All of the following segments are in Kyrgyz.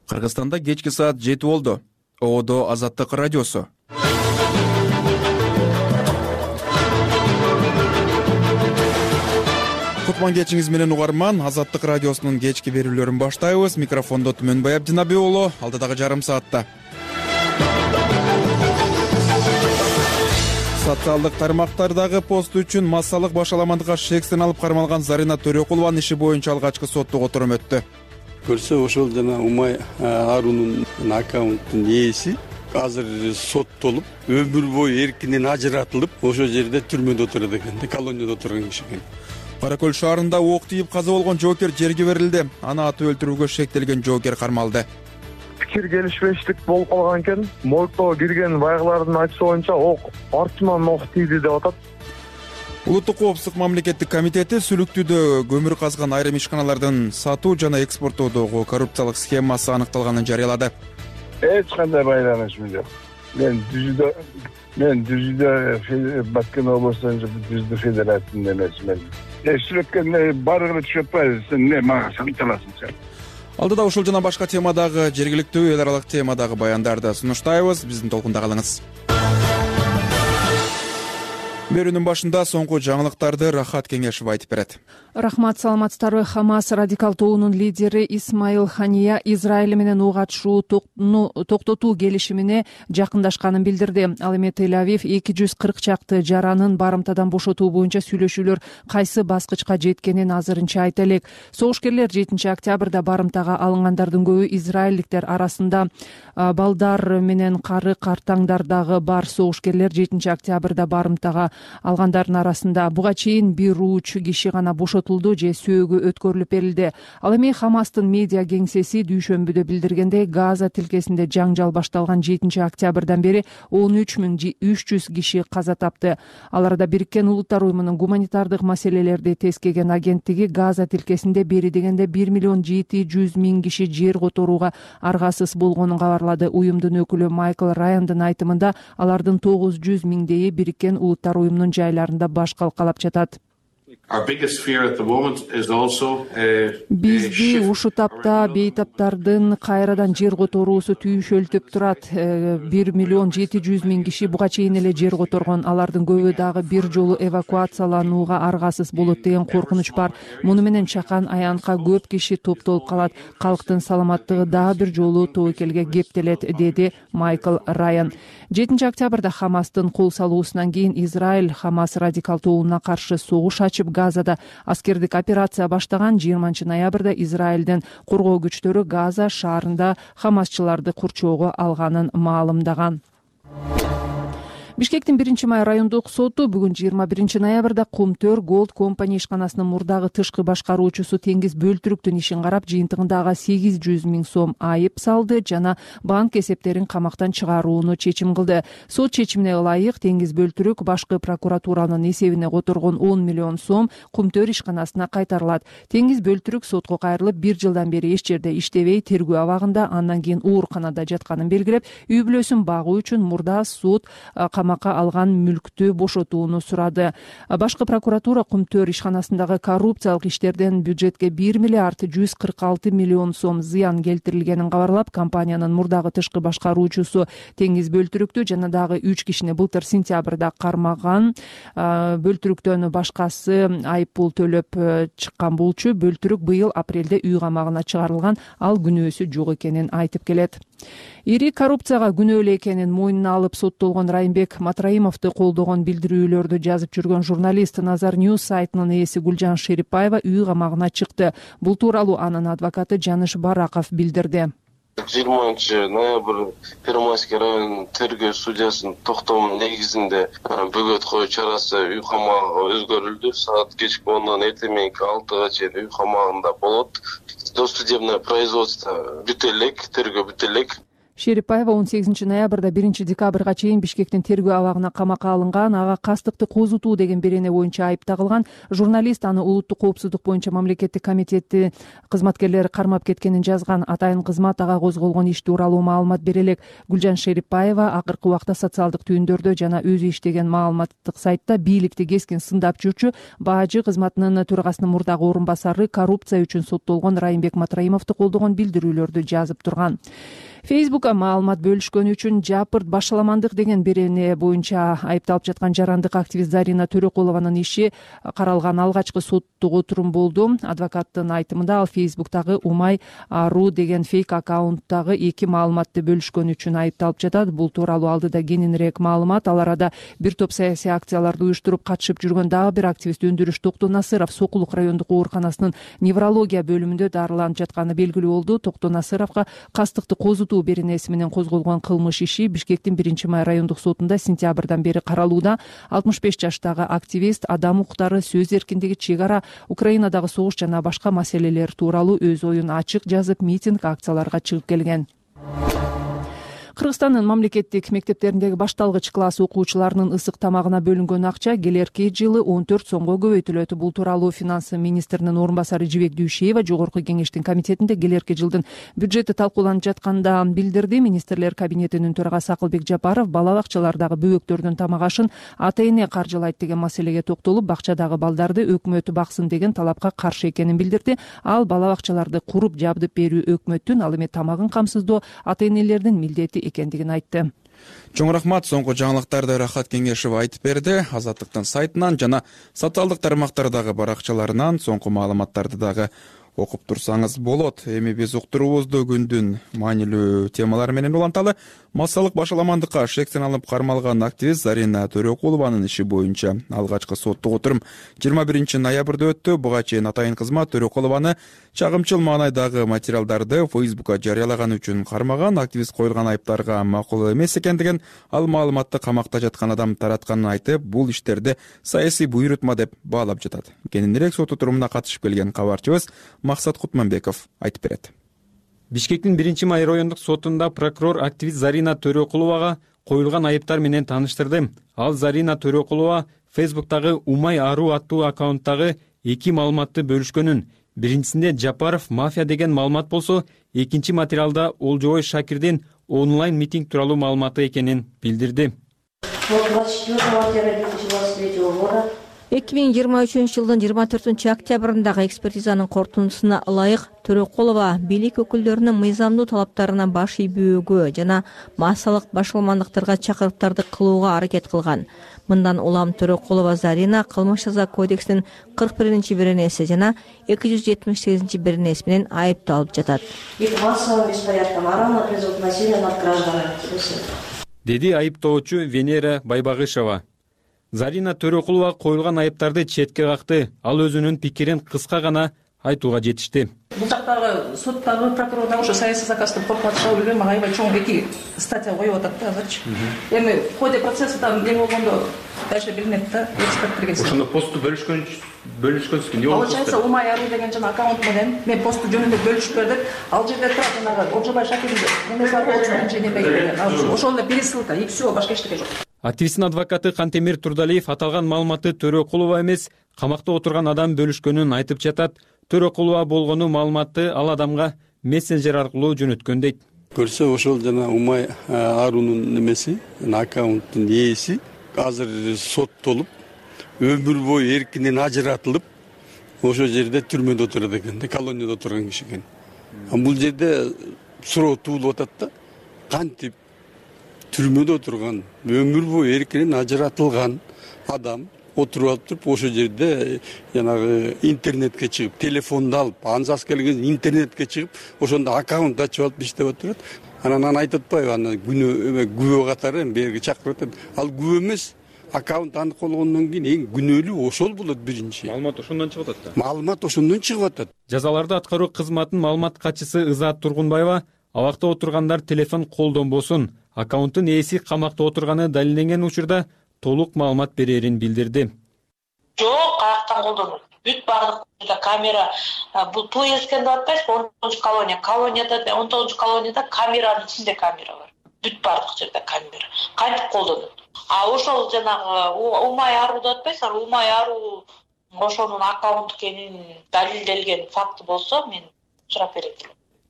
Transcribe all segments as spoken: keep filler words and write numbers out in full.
Кыргызстанда кечки саат жети болду. Оодо Азаттык радиосу. Кутман кечиңиз менен угарман. Азаттык радиосунун кечки берүүлөрүн баштайбыз. Микрофондо Түмөнбай Абдинаби уулу. Алдыдагы жарым саатта социалдык тармактардагы пост үчүн массалык башаламандыкка шектен алып кармалган Зарина Төрөкулованын иши боюнча алгачкы соттук отурум өттү. Көрсө ошол жана Умай Арунун аккаунттун ээси азыр соттолуп, өмүр бою эркинен ажыратылып, ошол жерде түрмөдө отурат экен, колонияда отурган киши экен. Кара Көл шаарында ок тийип каза болгон жоокер жерге берилди. Аны атып өлтүрүүгө шектелген жоокер кармалды. Пикир келишпештик болуп калган экен. Моргко кирген байгылардын айтышы боюнча ок артынан ок тийди деп атат. Улуттук коопсуздук мамлекеттик комитети Сүлүктүүдө көмүр казган айрым ишканалардын сатуу жана экспорттоодогу коррупциялык схемасы аныкталганын жарыялады. Эч кандай байланышым жок. Мен Дүзүдө мен Дүзүдө Баткен облусунун Дүзүдө федерациясында эмесмин. Эшлекке барыгы түшүп атпайбы, сен не мага санчаласың сен. Алдыда ушул жана башка темадагы жергиликтүү эл аралык темадагы баяндарды сунуштайбыз. Биздин толкунда калыңыз. Берүүнүн башында соңку жаңылыктарды Рахат Кеңешев айтып берет. Рахмат, саламатсыздарбы. Хамас радикал тобунун лидери Исмаил Хания Израиль менен ок атышууну токтотуу келишимине жакындашканын билдирди. Ал эми Тель-Авив эки жүз кырк чакты жаранын барымтадан бошотуу боюнча сүйлөшүүлөр кайсы баскычка жеткенин азырынча айта элек. Согушкерлер жетинчи октябрда барымтага алынгандардын көбү израилдиктер арасында. Балдар менен кары картаңдардагы бар согушкерлер жетинчи октябрда барымтага алгандардын арасында. Буга чейин бир уч киши гана бошотулду же сөөгү өткөрүлүп берилди. Ал эми Хамастын медиа кеңсеси дүйшөмбүдө билдиргендей, Газа тилкесинде жаңжал башталган жетинчи октябрдан бери он үч миң үч жүз киши каза тапты. Ал арада Бириккен Улуттар уюмунун гуманитардык маселелерди тескеген агенттиги Газа тилкесинде бери дегенде бир миллион жети жүз миң киши жер которууга аргасыз болгонун кабарлады. Уюмдун өкүлү Майкл Райандын айтымында алардын тогуз жүз миңдейи Бириккен Улуттар уюмунун жайларында баш калкалап жатат. Бизди ушул тапта бейтаптардын кайрадан жер которуусу түйшөлтүп турат. бир миллион жети жүз миң киши буга чейин эле жер которгон. Алардын көбү дагы бир жолу эвакуацияланууга аргасыз болот деген коркунуч бар. Муну менен чакан аянтка көп киши топтолуп калат. Калктын саламаттыгы дагы бир жолу тобокелге кептелет, деди Майкл Райан. жетинчи октябрда Хамастын кол салуусунан кийин Израиль Хамас радикал тобуна каршы согуш ачып Газада аскердик операция баштаган. жыйырманчы ноябрда Израилдин коргоо күчтөрү Газа шаарында хамасчыларды курчоого алганын маалымдаган. Бишкектин биринчи май райондук соту бүгүн жыйырма биринчи ноябрда Кумтөр Gold Company ишканасынын мурдагы тышкы башкаруучусу Теңиз Бөлтүрүктүн ишин карап, жыйынтыгында ага сегиз жүз миң сом айып салды жана банк эсептерин камактан чыгарууну чечим кылды. Сот чечимине ылайык Теңиз Бөлтүрүк башкы прокуратуранын эсебине которгон он миллион сом Кумтөр ишканасына кайтарылат. Теңиз Бөлтүрүк сотко кайрылып, бир жылдан бери эч жерде иштебей, тергөө абагында, андан кийин ооруканада жатканын белгилеп, үй бүлөсүн багуу үчүн мурда суд камакка алган мүлктү бошотууну сурады. Башкы прокуратура Кумтөр ишканасындагы коррупциялык иштерден бюджетке бир миллиард жүз кырк алты миллион сом зыян келтирилгенин кабарлап, компаниянын мурдагы тышкы башкаруучусу Теңиз Бөлтүрүктү жана дагы үч кишини былтыр сентябрда кармаган. Бөлтүрүктөн башкасы айып пул төлөп чыккан болчу. Бөлтүрүк быйыл апрелде үй камагына чыгарылган. Ал күнөөсү жок экенин айтып келет. Ири коррупцияга күнөөлүү экенин мойнуна алып соттолгон Райымбек Матраимовду колдогон билдирүүлөрдү жазып жүргөн журналист Назар Ньюс сайтынын ээси Гүлжан Шерипаева үй камагына чыкты. Бул тууралуу анын адвокаты Жаныш Бараков билдирди. жыйырманчы ноябрь Первомайский район тергөө судьясынын токтомунун негизинде бөгөт коюу чарасы үй камагына өзгөрүлдү. Саат кечки ондон эртең мененки алтыга чейин үй камагында болот. Досудебное производство бүтө элек, тергөө бүтө элек. Шерипаева он сегизинчи ноябрда биринчи декабрга чейин Бишкектин тергөө абагына камакка алынган, ага кастыкты козутуу деген берене боюнча айып тагылган. Журналист аны улуттук коопсуздук боюнча мамлекеттик комитети кызматкерлери кармап кеткенин жазган. Атайын кызмат ага козголгон иш тууралуу маалымат бере элек. Гүлжан Шерипаева акыркы убакта социалдык түйүндөрдө жана өзү иштеген маалыматтык сайтта бийликти кескин сындап жүрчү баажы кызматынын төрагасынын мурдагы орун басары коррупция үчүн соттолгон Райымбек Матраимовду колдогон билдирүүлөрдү жазып турган. Фейсбукка маалымат бөлүшкөнү үчүн жапырт башаламандык деген берене боюнча айыпталып жаткан жарандык активист Зарина Төрөкулованын иши каралган алгачкы соттук отурум болду. Адвокаттын айтымында ал Фейсбуктагы Умай Ару деген фейк аккаунттагы эки маалыматты бөлүшкөнү үчүн айыпталып жатат. Бул тууралуу алдыда кененирээк маалымат. Ал арада бир топ саясий акцияларды уюштуруп катышып жүргөн дагы бир активист Өндүрүш Токтонасыров Сокулук райондук ооруканасынын неврология бөлүмүндө дарыланып жатканы белгилүү болду. Токтонасыровго кастыкты козутуу беренеси менен козголгон кылмыш иши Бишкектин биринчи май райондук сотунда сентябрдан бери каралууда. алтымыш беш жаштагы активист адам укуктары, сөз эркиндиги, чек ара, Украинадагы согуш жана башка маселелер тууралуу өз оюн ачык жазып, митинг, акцияларга чыгып келген. Кыргызстандын мамлекеттик мектептериндеги башталгыч класс окуучуларынын ысык тамагына бөлүнгөн акча келерки жылы он төрт сомго көбөйтүлөт. Бул тууралуу финанс министринин орун басары Жибек Дүйшеева Жогорку кеңештин комитетинде келерки жылдын бюджети талкууланып жатканда билдирди. Министрлер кабинетинин төрагасы Акылбек Жапаров бала бакчалардагы бөбөктөрдүн тамак ашын ата эне каржылайт деген маселеге токтолуп, бакчадагы балдарды өкмөт баксын деген талапка каршы экенин билдирди. Ал бала бакчаларды куруп жабдып берүү өкмөттүн, ал эми тамагын камсыздоо ата энелердин милдети экендигин айтты. Чоң рахмат. Соңку жаңылыктарды Рахат Кеңешева айтып берди. Азаттыктын сайтынан жана социалдык тармактардагы баракчаларынан соңку маалыматтарды дагы окуп турсаңыз болот. Эми биз уктуруубузду күндүн маанилүү темалары менен уланталы. Массалык башаламандыкка шектен алып кармалган активист Зарина Төрөкулованын иши боюнча алгачкы соттук отурум жыйырма биринчи ноябрда өттү. Буга чейин атайын кызмат Төрөкулованы чагымчыл маанайдагы материалдарды Фейсбукка жарыялаганы үчүн кармаган. Активист коюлган айыптарга макул эмес экендигин, ал маалыматты камакта жаткан адам таратканын айтып, бул иштерди саясий буйрутма деп баалап жатат. Кененирээк сот отурумуна катышып келген кабарчыбыз Максат Кутманбеков айтып берет. Бишкектин биринчи май райондук сотунда прокурор активист Зарина Төрөкуловага коюлган айыптар менен тааныштырды. Ал Зарина Төрөкулова Фейсбуктагы Умай Ару аттуу аккаунттагы эки маалыматты бөлүшкөнүн, биринчисинде Жапаров мафия деген маалымат болсо, экинчи материалда Олжобой Шакирдин онлайн митинг тууралуу маалыматы экенин билдирди. эки миң жыйырма үчүнчү жылдын жыйырма төртүнчү октябрындагы экспертизанын корутундусуна ылайык Төрөкулова бийлик өкүлдөрүнүн мыйзамдуу талаптарына баш ийбөөгө жана массалык башаламандыктарга чакырыктарды кылууга аракет кылган. Мындан улам Төрөкулова Зарина кылмыш жаза кодексинин кырк биринчи беренеси жана эки жүз жетимиш сегизинчи беренеси менен айыпталып жатат. Деди айыптоочу Венера Байбагышева. Зарина Төрөкулова коюлган айыптарды четке какты. Ал өзүнүн пикирин кыска гана айтууга жетишти. Бул жактагы соттагы прокурор дагы ошо саясий заказды коркуп атышабы билбейм, ага аябай чоң эки статья коюп атат да азырчы. Эми в ходе процесса там не болгондо дальше билинет да, эксперттерге. Ошондо посту бөлүшкөн бөлүшкөнсүз эмне болду? Получается, Умай Ару деген жана аккаунт менен мен посту жөнүндө бөлүшүп бердик. Ал жерде турат жанагы Олжобой Шакирдин эмне бар болчу неме деген. Ошол эле пересылка и всё, башка эчтеке жок. Активисттин адвокаты Кантемир Турдалиев аталган маалыматты Төрөкулова эмес, камакта отурган адам бөлүшкөнүн айтып жатат. Төрөкулова болгону маалыматты ал адамга мессенджер аркылуу жөнөткөн дейт. Көрсө ошол жана Умай Арунун немеси, аккаунттун ээси азыр соттолуп, өмүр бою эркинен ажыратылып, ошол жерде түрмөдө отурат экен, колонияда отурган киши экен. Бул жерде суроо туулуп атат да, кантип түрмөдө отурган, өмүр бою эркинен ажыратылган адам отуруп алып туруп, ошол жерде жанагы интернетке чыгып, телефонду алып, анзас келген интернетке чыгып, ошондо аккаунт ачып алып иштеп отурат. Анан аны айтып атпайбы, аны күнөө күбө катары берги чакырып атат. Ал күбө эмес, аккаунт анык болгондон кийин эң күнөөлүү ошол болот биринчи. Маалымат ошондон чыгып атат да. Маалымат ошондон чыгып атат. Жазаларды аткаруу кызматынын маалымат катчысы Ызаат Тургунбаева абакта отургандар телефон колдонбосун, аккаунттун ээси камакта отурганы далилденген учурда толук маалымат берерин билдирди. Жок, каяктан колдонот? Бүт бардык жерде камера, бул туу эскен деп атпайсызбы? он тогузунчу колония. Колонияда, он тогузунчу колонияда камеранын ичинде камера бар. Бүт бардык жерде камера. Кантип колдонот? А ошол жанагы Умай Ару деп атпайсызбы? Умай Ару ошонун аккаунт экенин далилделген факты болсо, мен сурап берем.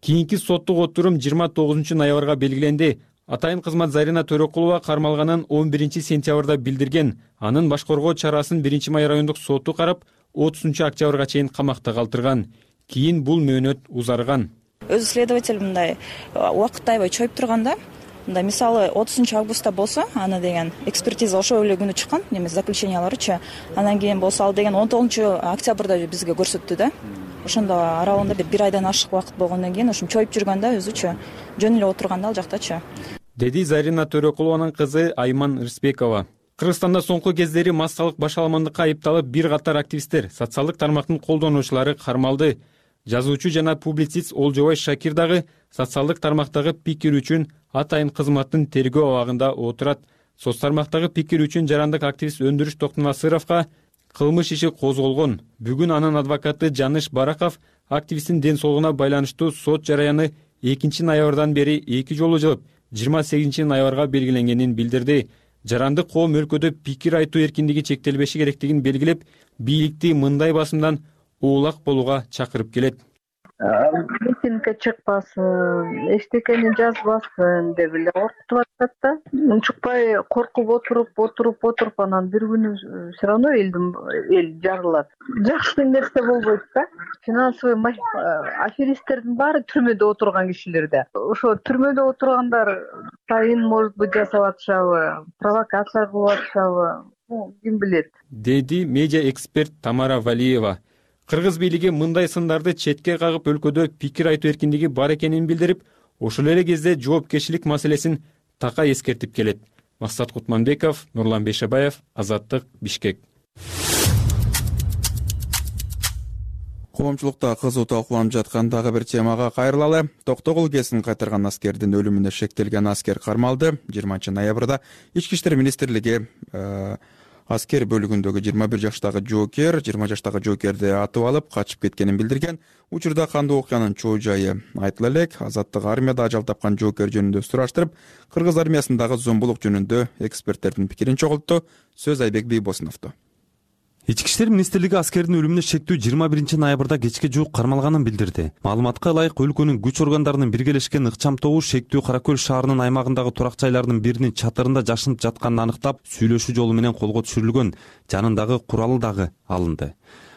Кийинки соттук отурум жыйырма тогузунчу ноябрга белгиленди. Атайын кызмат Зарина Төрөкулова кармалганын он биринчи сентябрда билдирген. Анын баш коргоо чарасын биринчи май райондук соту карап, отузунчу октябрга чейин камакта калтырган. Кийин бул мөөнөт узарган. Өзү следователь мындай убакытты аябай чоюп турганда, мындай мисалы отузунчу августта болсо, аны деген экспертиза ошол эле күнү чыккан, немес заключенияларычы. Анан кийин болсо ал деген он тогузунчу октябрда бизге көрсөттү да. Ошондо аралыгында бир бир айдан ашык убакыт болгондон кийин ошо чоюп жүргөндө өзүчө жөн эле отурганда ал жактачы. Деди Зарина Төрөкулованын кызы Айман Рысбекова. Кыргызстанда соңку кездери массалык башаламандыкка айыпталып бир катар активисттер, социалдык тармактын колдонуучулары кармалды. Жазуучу жана публицист Олжобай Шакир дагы социалдык тармактагы пикир үчүн атайын кызматтын тергөө абагында отурат. Соц тармактагы пикир үчүн жарандык активист Өндүрүш Токтонасыровго кылмыш иши козголгон. Бүгүн анын адвокаты Жаныш Бараков активисттин ден соолугуна байланыштуу сот жараяны экинчи ноябрдан бери эки жолу жылып, жыйырма сегизинчи ноябрга белгиленгенин билдирди. Жарандык коом өлкөдө пикир айтуу эркиндиги чектелбеши керектигин белгилеп, бийликти мындай басымдан оолак болууга чакырып келет. Митингге чыкпасын, эчтекени жазбасын деп эле коркутуп атат да. Унчукпай коркуп отуруп, отуруп, отуруп анан бир күнү все равно элдин эл жарылат. Жакшы нерсе болбойт да. Финансовый аферисттердин баары түрмөдө отурган кишилер да. Ошо түрмөдө отургандар сайын может быть жасап атышабы, провокация кылып атышабы, ким билет. Деди медиа эксперт Тамара Валиева. Кыргыз бийлиги мындай сындарды четке кагып өлкөдө пикир айтуу эркиндиги бар экенин билдирип, ошол эле кезде жоопкерчилик маселесин така эскертип келет. Максат Кутманбеков, Нурлан Бейшебаев, Азаттык, Бишкек. Коомчулукта кызуу талкууланып жаткан дагы бир темага кайрылалы. Токтогул КЭСин кайтарган аскердин өлүмүнө шектелген аскер кармалды. жыйырманчы ноябрда Ички иштер министрлиги аскер бөлүгүндөгү жыйырма бир жаштагы жоокер, жыйырма жаштагы жоокерди атып алып качып кеткенин билдирген. Учурда кандуу окуянын чоо жайы айтыла элек. Азаттык армияда ажал тапкан жоокер жөнүндө сураштырып, кыргыз армиясындагы зомбулук жөнүндө эксперттердин пикирин чогултту. Сөз Айбек Бийбосуновдо. Ички иштер министрлиги аскердин өлүмүнө шектүү жыйырма биринчи ноябрда кечке жуук кармалганын билдирди. Маалыматка ылайык өлкөнүн күч органдарынын биргелешкен ыкчам тобу шектүү Кара Көл шаарынын аймагындагы турак жайлардын биринин чатырында жашынып жатканын аныктап, сүйлөшүү жолу менен колго түшүрүлгөн, жанындагы куралы дагы алынды.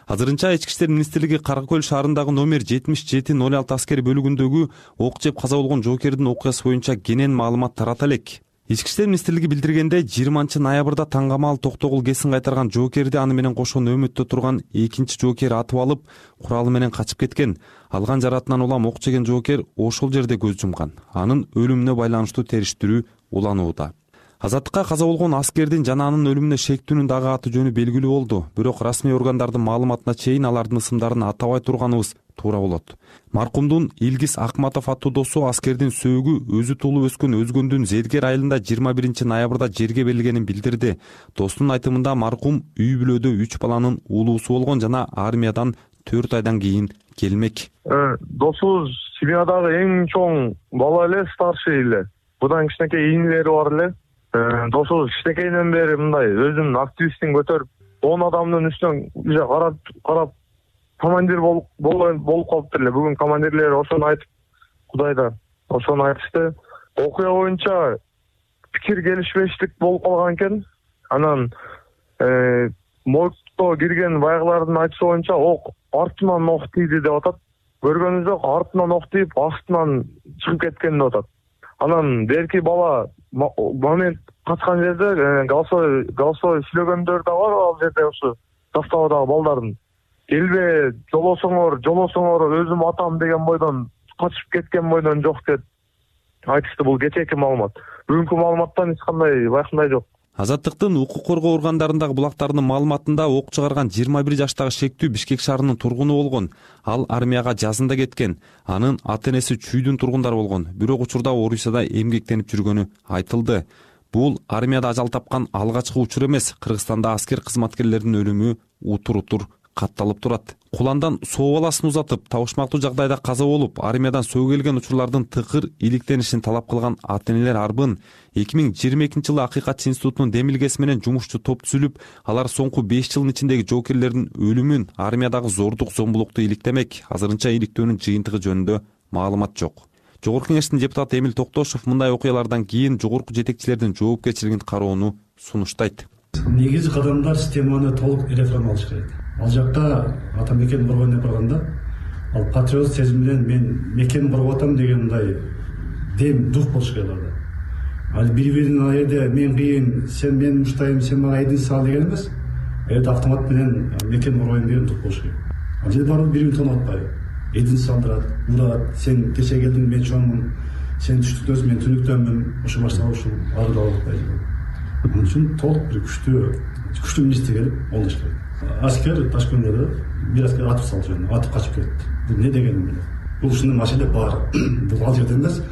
Азырынча Ички иштер министрлиги Кара Көл шаарындагы номер жетимиш жети ноль алты аскер бөлүгүндөгү ок жеп каза болгон жоокердин окуясы боюнча кенен маалымат тарата элек. Ички иштер министрлиги билдиргенде, жыйырманчы ноябрда таңгамал Токтогул КЭСин кайтарган жоокерди аны менен кошо нөөмөттө турган экинчи жоокер атып алып, куралы менен качып кеткен. Алган жаратынан улам ок жеген жоокер ошол жерде көз жумган. Анын өлүмүнө байланыштуу териштирүү уланууда. Азаттыкка каза болгон аскердин жана анын өлүмүнө шектүүнүн дагы аты жөнү белгилүү болду. Бирок расмий органдардын маалыматына чейин алардын ысымдарын атабай турганыбыз туура болот. Маркумдун Илгиз Акматов аттуу досу аскердин сөөгү өзү туулуп өскөн Өзгөндүн Зергер айылында жыйырма биринчи ноябрда жерге берилгенин билдирди. Достунун айтымында маркум үй бүлөдө үч баланын уулуусу болгон жана армиядан төрт айдан кийин келмек. Досубуз семьядагы эң чоң бала эле, старший эле. Будан кичинекей ийнелери бар эле. Досубуз кичинекейден бери мындай өзүнүн активистин көтөрүп, он адамдын үстүнөн уже карап карап командир болуп болуп калыптыр эле. Бүгүн командирлер ошону айтып, Кудайда ошону айтышты. Окуя боюнча пикир келишпештик болуп калган экен. Анан моргто кирген байгылардын айтышы боюнча ок артынан ок тийди деп атат. Көргөнү жок, артынан ок тийип, астынан чыгып кеткен деп атат. Анан берки бала момент качкан жерде голосовой голосовой сүйлөгөндөр да бар ал жерде, ошо заставадагы балдардын. Келбе, жолосоңор, жолосоңор, өзүм атам деген бойдон качып кеткен бойдон жок деп айтышты. Бул кечээки маалымат. Бүгүнкү маалыматтан эч кандай байкандай жок. Азаттыктын укук коргоо органдарындагы булактарынын маалыматында ок чыгарган жыйырма бир жаштагы шектүү Бишкек шаарынын тургуну болгон. Ал армияга жазында кеткен. Анын ата-энеси Чүйдүн тургундары болгон. Бирок учурда Орусияда эмгектенип жүргөнү айтылды. Бул армияда ажал тапкан алгачкы учур эмес. Кыргызстанда аскер кызматкерлеринин өлүмү утур утур катталып турат. Куландан соо баласын узатып, табышмактуу жагдайда каза болуп, армиядан сөгүлгөн учурлардын тыкыр иликтенишин талап кылган ата-энелер арбын эки миң жыйырма экинчи жылы Акыйкат институтунун демилгеси менен жумушчу топ түзүлүп, алар соңку беш жылдын ичиндеги жоокерлердин өлүмүн, армиядагы зордук зомбулукту иликтемек. Азырынча иликтөөнүн жыйынтыгы жөнүндө маалымат жок. Жогорку Кеңештин депутаты Эмил Токтошов мындай окуялардан кийин жогорку жетекчилердин жоопкерчилигин кароону сунуштайт. Негизи кадамдар системаны толук реформалаш керек. Ал жакта ата мекен коргойно барганда, ал патриот сезим менен мен мекен коргоп атам деген мындай дем дух болуш керек аларда. Ал бири-биринин айырда мен кыйын, сен мени муштайм, сен мага эдин сал деген эмес. Эде автомат менен мекен коргойм деген дух болуш керек. Ал жерде баары бири-бирин тонуп атпайбы? Эдин салдырат, урат, сен кече келдиң, мен чоңмун, сен түштүктөсүң, мен түнүктөнмүн, ошо башталып ушул арыда алып. Анын үчүн толук бир күчтүү, күчтүү министр келип олдош керек. Аскер Ташкентте бир аскер атып салды, атып качып кетти. Бул эмне дегенин билет. Бул ушундай маселе бар. Бул ал жерде эмес,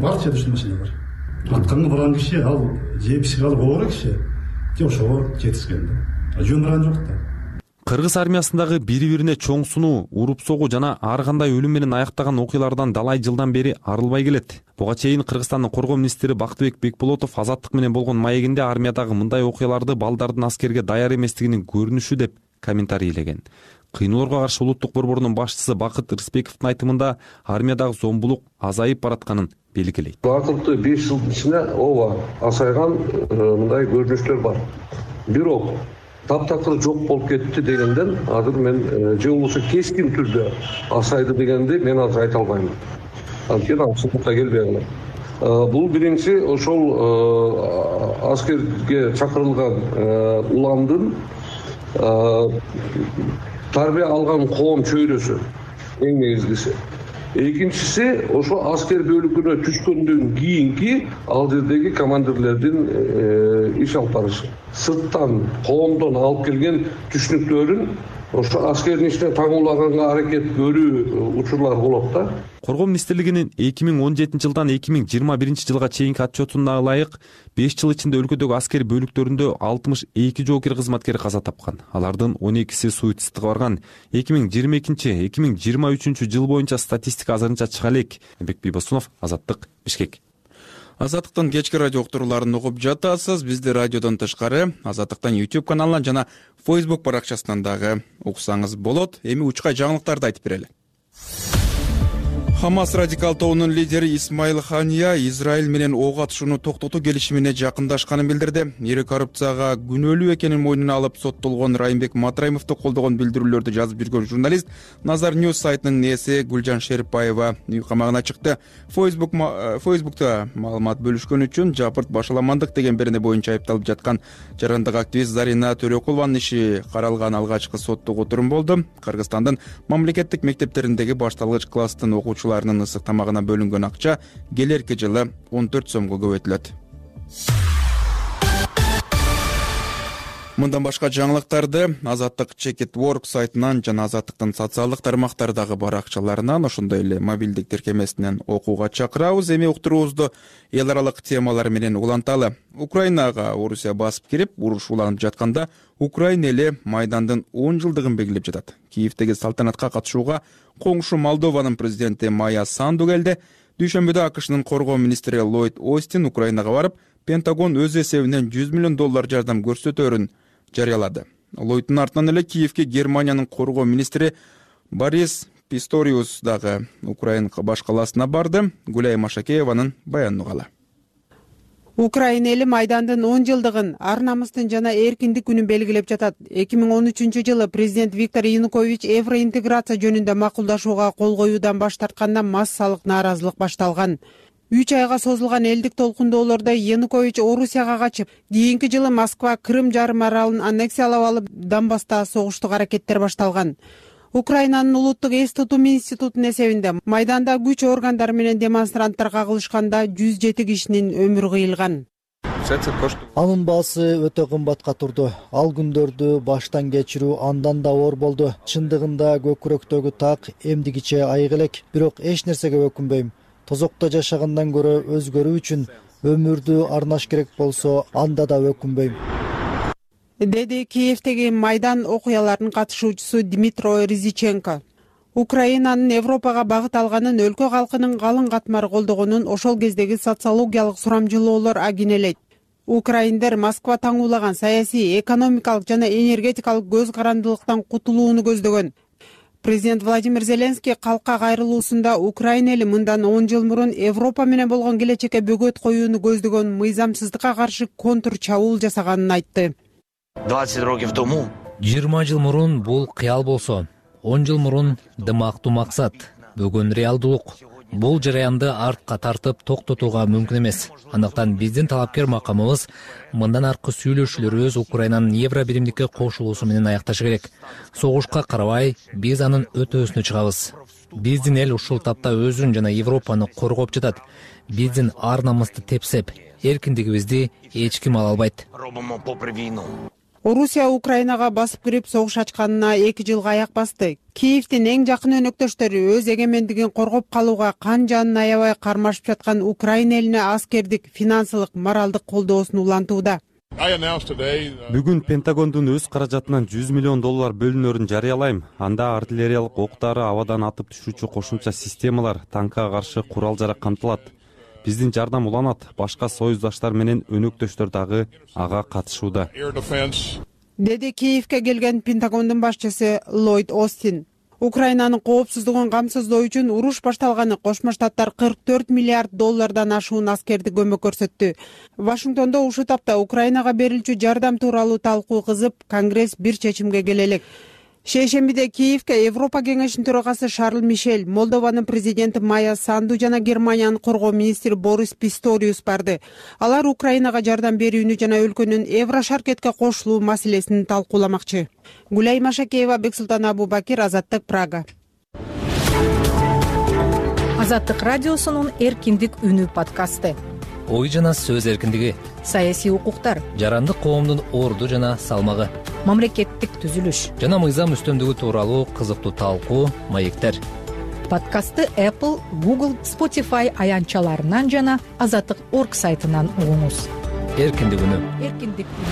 бар жерде ушундай маселе бар. Атканга барган киши, ал же психологиялык оору киши, же ошого жетишкен да. Жөн барган жок да. Кыргыз армиясындагы бири-бирине чоң сунуу, уруп согуу жана ар кандай өлүм менен аяктаган окуялардан далай жылдан бери арылбай келет. Буга чейин Кыргызстандын коргоо министри Бактыбек Бекболотов Азаттык менен болгон маегинде армиядагы мындай окуяларды балдардын аскерге даяр эместигинин көрүнүшү деп комментарийлеген. Кыйноолорго каршы улуттук борборунун башчысы Бакыт Рыспековдун айтымында армиядагы зомбулук азайып баратканын белгилейт. Акыркы беш жылдын ичинде ооба азайган мындай көрүнүштөр бар. Бирок таптакыр жок болуп кетти дегенден азыр мен же болбосо кескин түрдө азайды дегенди мен азыр айта албайм. Анткени ал чындыкка келбей калат. Бул биринчи ошол аскерге чакырылган уламдын тарбия алган коом чөйрөсү эң негизгиси. Экинчиси ошо аскер бөлүкүнө түшкөндөн кийинки ал жердеги командирлердин иш алып барышы. Сырттан, коомдон алып келген түшүнүктөрүн ошо аскердин ичине таңуулаганга аракет көрүү учурлар болот да. Коргоо министрлигинин эки миң он жетинчи жылдан эки миң жыйырма биринчи жылга чейинки отчетуна ылайык беш жыл ичинде өлкөдөгү аскер бөлүктөрүндө алтымыш эки жоокер кызматкер каза тапкан. Алардын он экиси суицидке барган. эки миң жыйырма экинчи эки миң жыйырма үчүнчү жыл боюнча статистика азырынча чыга элек. Эмбек Бийбосунов, Азаттык, Бишкек. Азаттыктын кечки радио уктурууларын угуп жатасыз. Бизди радиодон тышкары Азаттыктын YouTube каналынан жана Facebook баракчасынан дагы уксаңыз болот. Эми учкай жаңылыктарды айтып берели. Хамас радикал тобунун лидери Исмаил Хания Израиль менен ок атышууну токтотуу келишимине жакындашканын билдирди. Ири коррупцияга күнөөлүү экенин мойнуна алып соттолгон Райымбек Матраимовду колдогон билдирүүлөрдү жазып жүргөн журналист Назар Ньюс сайтынын ээси Гүлжан Шериповаева үй камагына чыкты. Facebook Facebook'та маалымат бөлүшкөн үчүн жапырт башаламандык деген берене боюнча айыпталып жаткан жарандык активист Зарина Төрөкулованын иши каралган алгачкы соттук отурум болду. Кыргызстандын мамлекеттик мектептериндеги башталгыч класстын окуучулары ысык тамагына бөлүнгөн акча келерки жылы он төрт сомго көбөйтүлөт. Мындан башка жаңылыктарды Азаттык Чекит Work сайтынан жана Азаттыктын социалдык тармактардагы баракчаларынан, ошондой эле мобилдик тиркемесинен окууга чакырабыз. Эми уктуруубузду эл аралык темалар менен уланталы. Украинага Орусия басып кирип, уруш уланып жатканда Украина эли Майдандын он жылдыгын белгилеп жатат. Киевдеги салтанатка катышууга коңшу Молдованын президенти Майя Санду келди. Дүйшөмбүдө АКШнын коргоо министри Ллойд Остин Украинага барып, Пентагон өз эсебинен жүз миллион доллар жардам көрсөтөөрүн жарыялады. Ллойдтун артынан эле Киевге Германиянын коргоо министри Борис Писториус дагы Украина баш калаасына барды. Гүлай Машакееванын баянын угалы. Украина эли Майдандын он жылдыгын, ар намыстын жана эркиндик күнүн белгилеп жатат. эки миң он үчүнчү жылы президент Виктор Янукович евроинтеграция жөнүндө макулдашууга кол коюудан баш тартканда массалык нааразылык башталган. үч айга созулган элдик толкундоолордо Янукович Орусияга качып, кийинки жылы Москва Крым жарым аралын аннексиялап алып, Донбасста согуштук аракеттер башталган. Украинанын улуттук эс тутуу институтунун эсебинде Майданда күч органдары менен демонстранттар кагылышканда жүз жети кишинин өмүрү кыйылган. Анын баасы өтө кымбатка турду. Ал күндөрдү баштан кечирүү андан да оор болду. Чындыгында көкүрөктөгү так эмдигиче айык элек, бирок эч нерсеге өкүнбөйм. Тозокто жашагандан көрө өзгөрүү үчүн өмүрдү арнаш керек болсо, анда да өкүнбөйм. деди Киевдеги майдан окуяларынын катышуучусу Дмитро Ризиченко. Украинанын Европага багыт алганын өлкө калкынын калың катмары колдогонун ошол кездеги социологиялык сурамжылоолор агинелейт. Украиндер Москва таңуулаган саясий, экономикалык жана энергетикалык көз карандылыктан кутулууну көздөгөн. Президент Владимир Зеленский калкка кайрылуусунда Украина эли мындан он жыл мурун Европа менен болгон келечекке бөгөт коюуну көздөгөн мыйзамсыздыкка каршы контр чабуул жасаганын айтты. жыйырма жыл мурун бул кыял болсо, он жыл мурун дымактуу максат, бүгүн реалдуулук. Бул жараянды артка тартып токтотууга мүмкүн эмес. Андыктан биздин талапкер макамыбыз мындан аркы сүйлөшүүлөрүбүз Украинанын евро биримдикке кошулуусу менен аякташы керек. Согушка карабай, биз анын өтөөсүнө чыгабыз. Биздин эл ушул тапта өзүн жана Европаны коргоп жатат. Биздин ар намысты тепсеп, эркиндигибизди эч ким ала албайт. Орусия Украинага басып кирип согуш ачканына эки жылга аяк басты. Киевдин эң жакын өнөктөштөрү өз эгемендигин коргоп калууга кан жанын аябай кармашып жаткан Украина элине аскердик, финансылык, моралдык колдоосун улантууда. Бүгүн Пентагондун өз каражатынан жүз миллион доллар бөлүнөрүн жарыялайм. Анда артиллериялык октары, абадан атып түшүүчү кошумча системалар, танкка каршы курал-жарак камтылат. Биздин жардам уланат, башка союздаштар менен өнөктөштөр дагы ага катышууда, деди Киевге келген Пентагондун башчысы Ллойд Остин. Украинанын коопсуздугун камсыздоо үчүн уруш башталганы Кошмо Штаттар кырк төрт миллиард доллардан ашуун аскерди көмөк көрсөттү. Вашингтондо ушул тапта Украинага берилчү жардам тууралуу талкуу кызып, Конгресс бир чечимге келе элек. Шейшембиде Киевге Европа кеңешинин төрагасы Шарль Мишель, Молдованын президенти Майя Санду жана Германиянын коргоо министри Борис Писториус барды. Алар Украинага жардам берүүнү жана өлкөнүн Еврошаркетке кошулуу маселесин талкууламакчы. Гулай Машакеева, Бексултан Абубакир, Азаттык, Прага. Азаттык радиосунун эркиндик үнү подкасты. Ой жана сөз эркиндиги, саясий укуктар, жарандык коомдун орду жана салмагы, мамлекеттик түзүлүш жана мыйзам үстөмдүгү тууралуу кызыктуу талкуу, маектер. Подкастты Apple, Google, Spotify аянтчаларынан жана азаттык точка орг сайтынан угуңуз. Эркиндик үнү. Эркиндик үнү.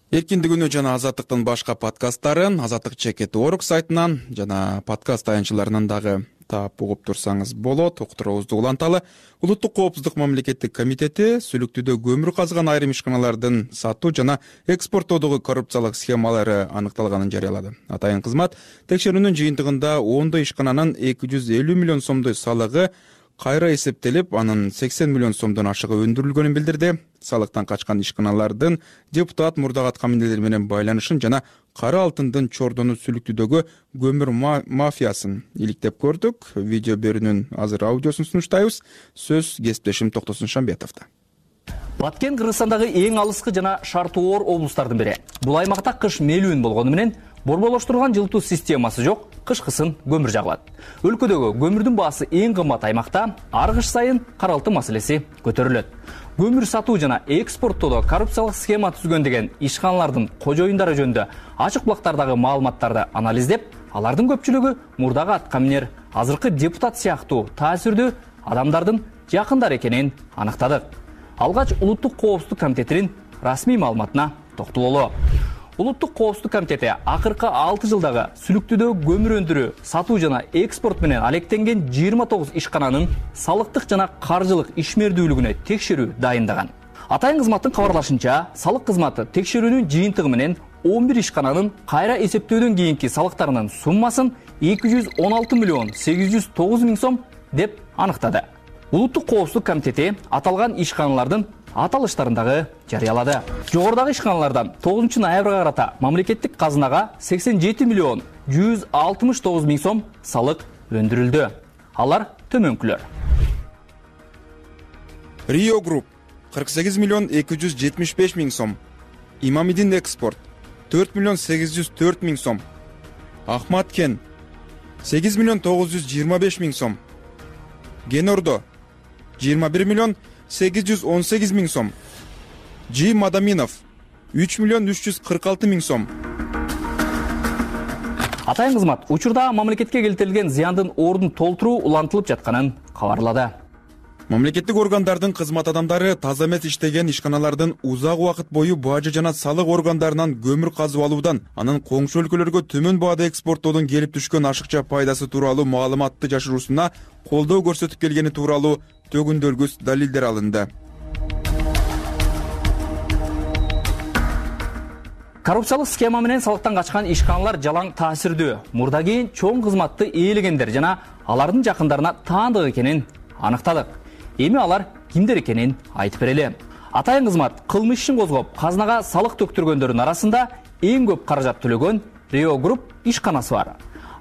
Эркиндик үнү жана азаттыктын башка подкасттарын азаттык чекит точка орг сайтынан жана подкаст аянтчаларынан дагы таап угуп турсаңыз болот. Уктуруубузду уланталы. Улуттук коопсуздук мамлекеттик комитети сүлүктүүдө көмүр казган айрым ишканалардын сатуу жана экспорттоодогу коррупциялык схемалары аныкталганын жарыялады. Атайын кызмат текшерүүнүн жыйынтыгында ондой ишкананын эки жүз элүү миллион сомдой салыгы кайра эсептелип, анын сексен миллион сомдон ашыгы өндүрүлгөнүн билдирди. Салыктан качкан ишканалардын депутат мурдагат каминелер менен байланышын жана кара алтындын чордону сүлүктүүдөгү көмүр мафиясын иликтеп көрдүк. Видео берүүнүн азыр аудиосун сунуштайбыз. Сөз кесиптешим Токтосун Шамбетовдо. Баткен Кыргызстандагы эң алыскы жана шартоор облустардын бири. Бул аймакта кыш мелүүн болгону менен борболоштурган жылытуу системасы жок, кышкысын көмүр жагылат. Өлкөдөгү көмүрдүн баасы эң кымбат аймакта ар кыш сайын кара алтын маселеси көтөрүлөт. Көмүр сатуу жана экспорттоодо коррупциялык схема түзгөн деген ишканалардын кожоюндары жөнүндө ачык булактардагы маалыматтарды анализдеп, алардын көпчүлүгү мурдагы аткаминер, азыркы депутат сыяктуу таасирдүү адамдардын жакындары экенин аныктадык. Алгач Улуттук коопсуздук комитетинин расмий маалыматына токтололу. Улуттук коопсуздук комитети акыркы алты жылдагы сүлүктүүдө көмүр өндүрүү, сатуу жана экспорт менен алектенген жыйырма тогуз ишкананын салыктык жана каржылык ишмердүүлүгүнө текшерүү дайындаган. Атайын кызматтын кабарлашынча, салык кызматы текшерүүнүн жыйынтыгы менен он бир ишкананын кайра эсептөөдөн кийинки салыктарынын суммасын эки жүз он алты миллион сегиз жүз тогуз миң сом деп аныктады. Улуттук коопсуздук комитети аталган ишканалардын аталыштарын дагы жарыялады. Жогорудагы ишканалардан тогузунчу ноябрга карата мамлекеттик казынага сексен жети миллион жүз алтымыш тогуз миң сом салык өндүрүлдү. Алар төмөнкүлөр. Rio Group кырк сегиз миллион эки жүз жетимиш беш миң сом. Имамидин экспорт төрт миллион сегиз жүз төрт миң сом. Ахмат Кен сегиз миллион тогуз жүз жыйырма беш миң сом. Генордо жыйырма бир миллион сегиз жүз он сегиз миң сом. Жи Мадаминов үч миллион үч жүз кырк алты миң сом. Атайын кызмат учурда мамлекетке келтирилген зыяндын ордун толтуруу улантылып жатканын кабарлады. Мамлекеттик органдардын кызмат адамдары таза эмес иштеген ишканалардын узак убакыт бою бажы жана салык органдарынан көмүр казып алуудан, анын коңшу өлкөлөргө төмөн баада экспорттоодон келип түшкөн ашыкча пайдасы тууралуу маалыматты жашыруусуна колдоо көрсөтүп келгени тууралуу төгүндөлгүс далилдер алынды. Коррупциялык схема менен салыктан качкан ишканалар жалаң таасирдүү, мурда кийин чоң кызматты ээлегендер жана алардын жакындарына таандык экенин аныктадык. Эми алар кимдер экенин айтып берели. Атайын кызмат кылмыш ишин козгоп, казынага салык төктүргөндөрдүн арасында эң көп каражат төлөгөн Рио Групп ишканасы бар.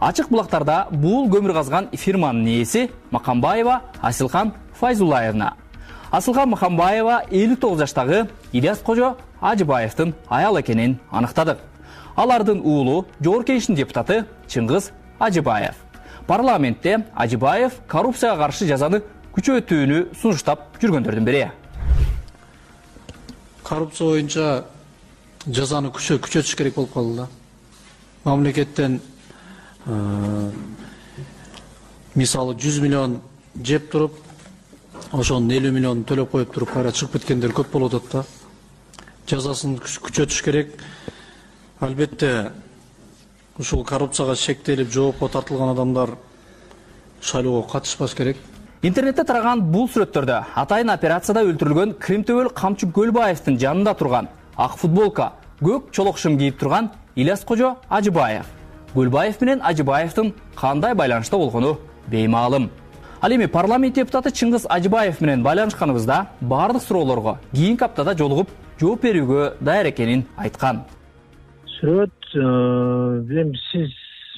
Ачык булактарда бул көмүр казган фирманын ээси Макамбаева Асилхан Файзуллаевна. Асылхан Макамбаева элүү тогуз жаштагы Ильяс Кожо Ажыбаевдин аял экенин аныктадык. Алардын уулу Жогорку Кеңештин депутаты Чыңгыз Ажыбаев. Парламентте Ажыбаев коррупцияга каршы жазаны күчөтүүнү сунуштап жүргөндөрдүн бири. Коррупция боюнча жазаны күчөтүш керек болуп калды да. Мамлекеттен мисалы жүз миллион жеп туруп, ошонун элүү миллионун төлөп коюп туруп кайра чыгып кеткендер көп болуп атат да. Жазасын күчөтүш керек. Албетте ушул коррупцияга шектелип жоопко тартылган адамдар шайлоого катышпаш керек. Интернетте тараган бул сүрөттөрдө атайын операцияда өлтүрүлгөн Кремтөбөл Камчы Көлбаевдин жанында турган ак футболка, көк чолок шым кийип турган Ильяс Кожо Ажыбаев. Көлбаев менен Ажыбаевдин кандай байланышта болгону беймаалым. Ал эми парламент депутаты Чыңгыз Ажыбаев менен байланышканыбызда бардык суроолорго кийинки аптада жолугуп жооп берүүгө даяр экенин айткан. Сүрөт, эми сиз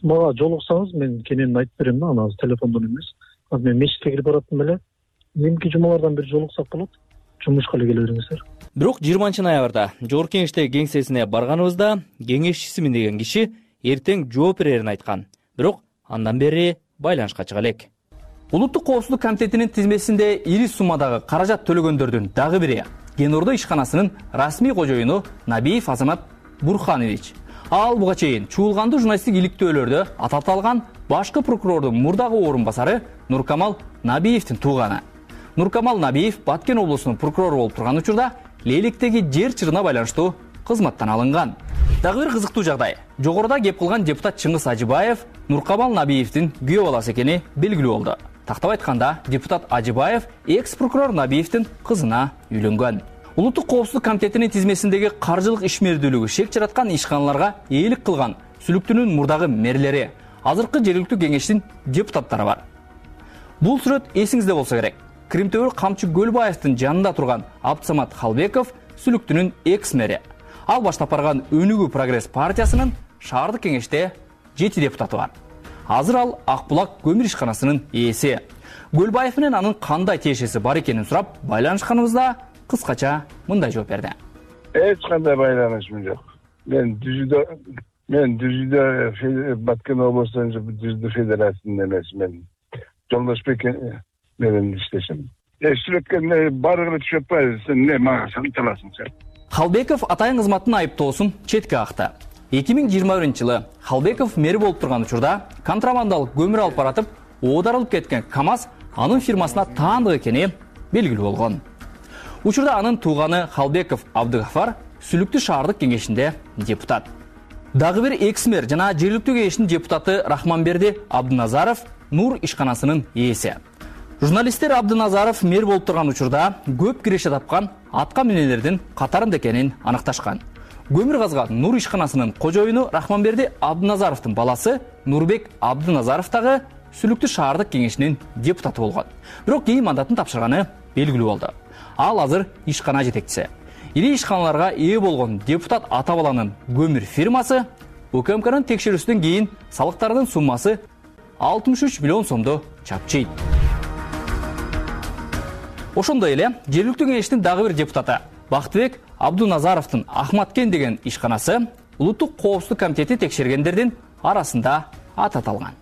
мага жолуксаңыз мен кененин айтып берем да, аны телефондон эмес. Азыр мен мешитке кирип баратам эле. Эмки жумалардан бир жолуксак болот. Жумушка эле келе бериңиздер. Бирок жыйырманчы ноябрда Жогорку Кеңештеги кеңсесине барганыбызда кеңешчисимин деген киши эртең жооп берерин айткан. Бирок андан бери байланышка чыга элек. Улуттук коопсуздук комитетинин тизмесинде ири суммадагы каражат төлөгөндөрдүн дагы бири Кен-Ордо ишканасынын расмий кожоюну Набиев Азамат Бурханович. Ал буга чейин чуулгандуу журналисттик иликтөөлөрдө аталган башкы прокурордун мурдагы орун басары Нуркамал Набиевдин тууганы. Нуркамал Набиев Баткен облусунун прокурору болуп турган учурда Лейликтеги жер чырына байланыштуу кызматтан алынган. Дагы бир кызыктуу жагдай. Жогоруда кеп кылган депутат Чыңгыз Ажыбаев Нуркамал Набиевдин күйөө баласы экени белгилүү болду. Тактап айтканда, депутат Ажыбаев экс-прокурор Набиевдин кызына үйлөнгөн. Улуттук коопсуздук комитетинин тизмесиндеги каржылык ишмердүүлүгү шек жараткан ишканаларга ээлик кылган сүлүктүнүн мурдагы мэрлери, азыркы жергиликтүү кеңештин депутаттары бар. Бул сүрөт эсиңизде болсо керек. Кремтөбөл Камчы Көлбаевдин жанында турган Абдсамат Халбеков сүлүктүнүн экс-мэри. Ал баштап барган Өнүгүү Прогресс партиясынын шаардык кеңеште жети депутаты бар. Азыр ал Акбулак көмүр ишканасынын ээси. Көлбаев менен анын кандай тиешеси бар экенин сурап байланышканыбызда кыскача мындай жооп берди. Эч кандай байланышым жок. Мен дүзүдө мен дүзүдө Баткен облусунун дүзүдө федерациясында эмес, мен Жолдошбек менен иштешем. Эсүрөткөн барыгы түшүп атпайбы, сен эмне мага санталасың сен? Халбеков атайын кызматтын айыптоосун четке акты. эки миң жыйырма биринчи жылы Халбеков мэри болуп турган учурда контрабандалык көмүр алып баратып, оодарылып кеткен КАМАЗ анын фирмасына таандык экени белгилүү болгон. Учурда анын тууганы Халбеков Абдыгафар Сүлүктүү шаардык кеңешинде депутат. Дагы бир экс-мэр жана жергиликтүү кеңештин депутаты Рахманберди Абдыназаров Нур ишканасынын ээси. Журналисттер Абдыназаров мэр болуп турган учурда көп киреше тапкан атка минелердин катарында экенин аныкташкан. Көмүр казган Нур ишканасынын кожоюну Рахманберди Абдыназаровдун баласы Нурбек Абдыназаров дагы Сүлүктүү шаардык кеңешинин депутаты болгон. Бирок кийин мандатын тапшырганы белгилүү болду. Ал азыр ишкана жетекчиси. Ири ишканаларга ээ болгон депутат ата баланын көмүр фирмасы УКМКнын текшерүүсүнөн кийин салыктардын суммасы алтымыш үч миллион сомду чапчыйт. Ошондой эле жергиликтүү кеңештин дагы бир депутаты Бактыбек Абдуназаровдун Ахматкен деген ишканасы Улуттук коопсуздук комитети текшергендердин арасында ататалган.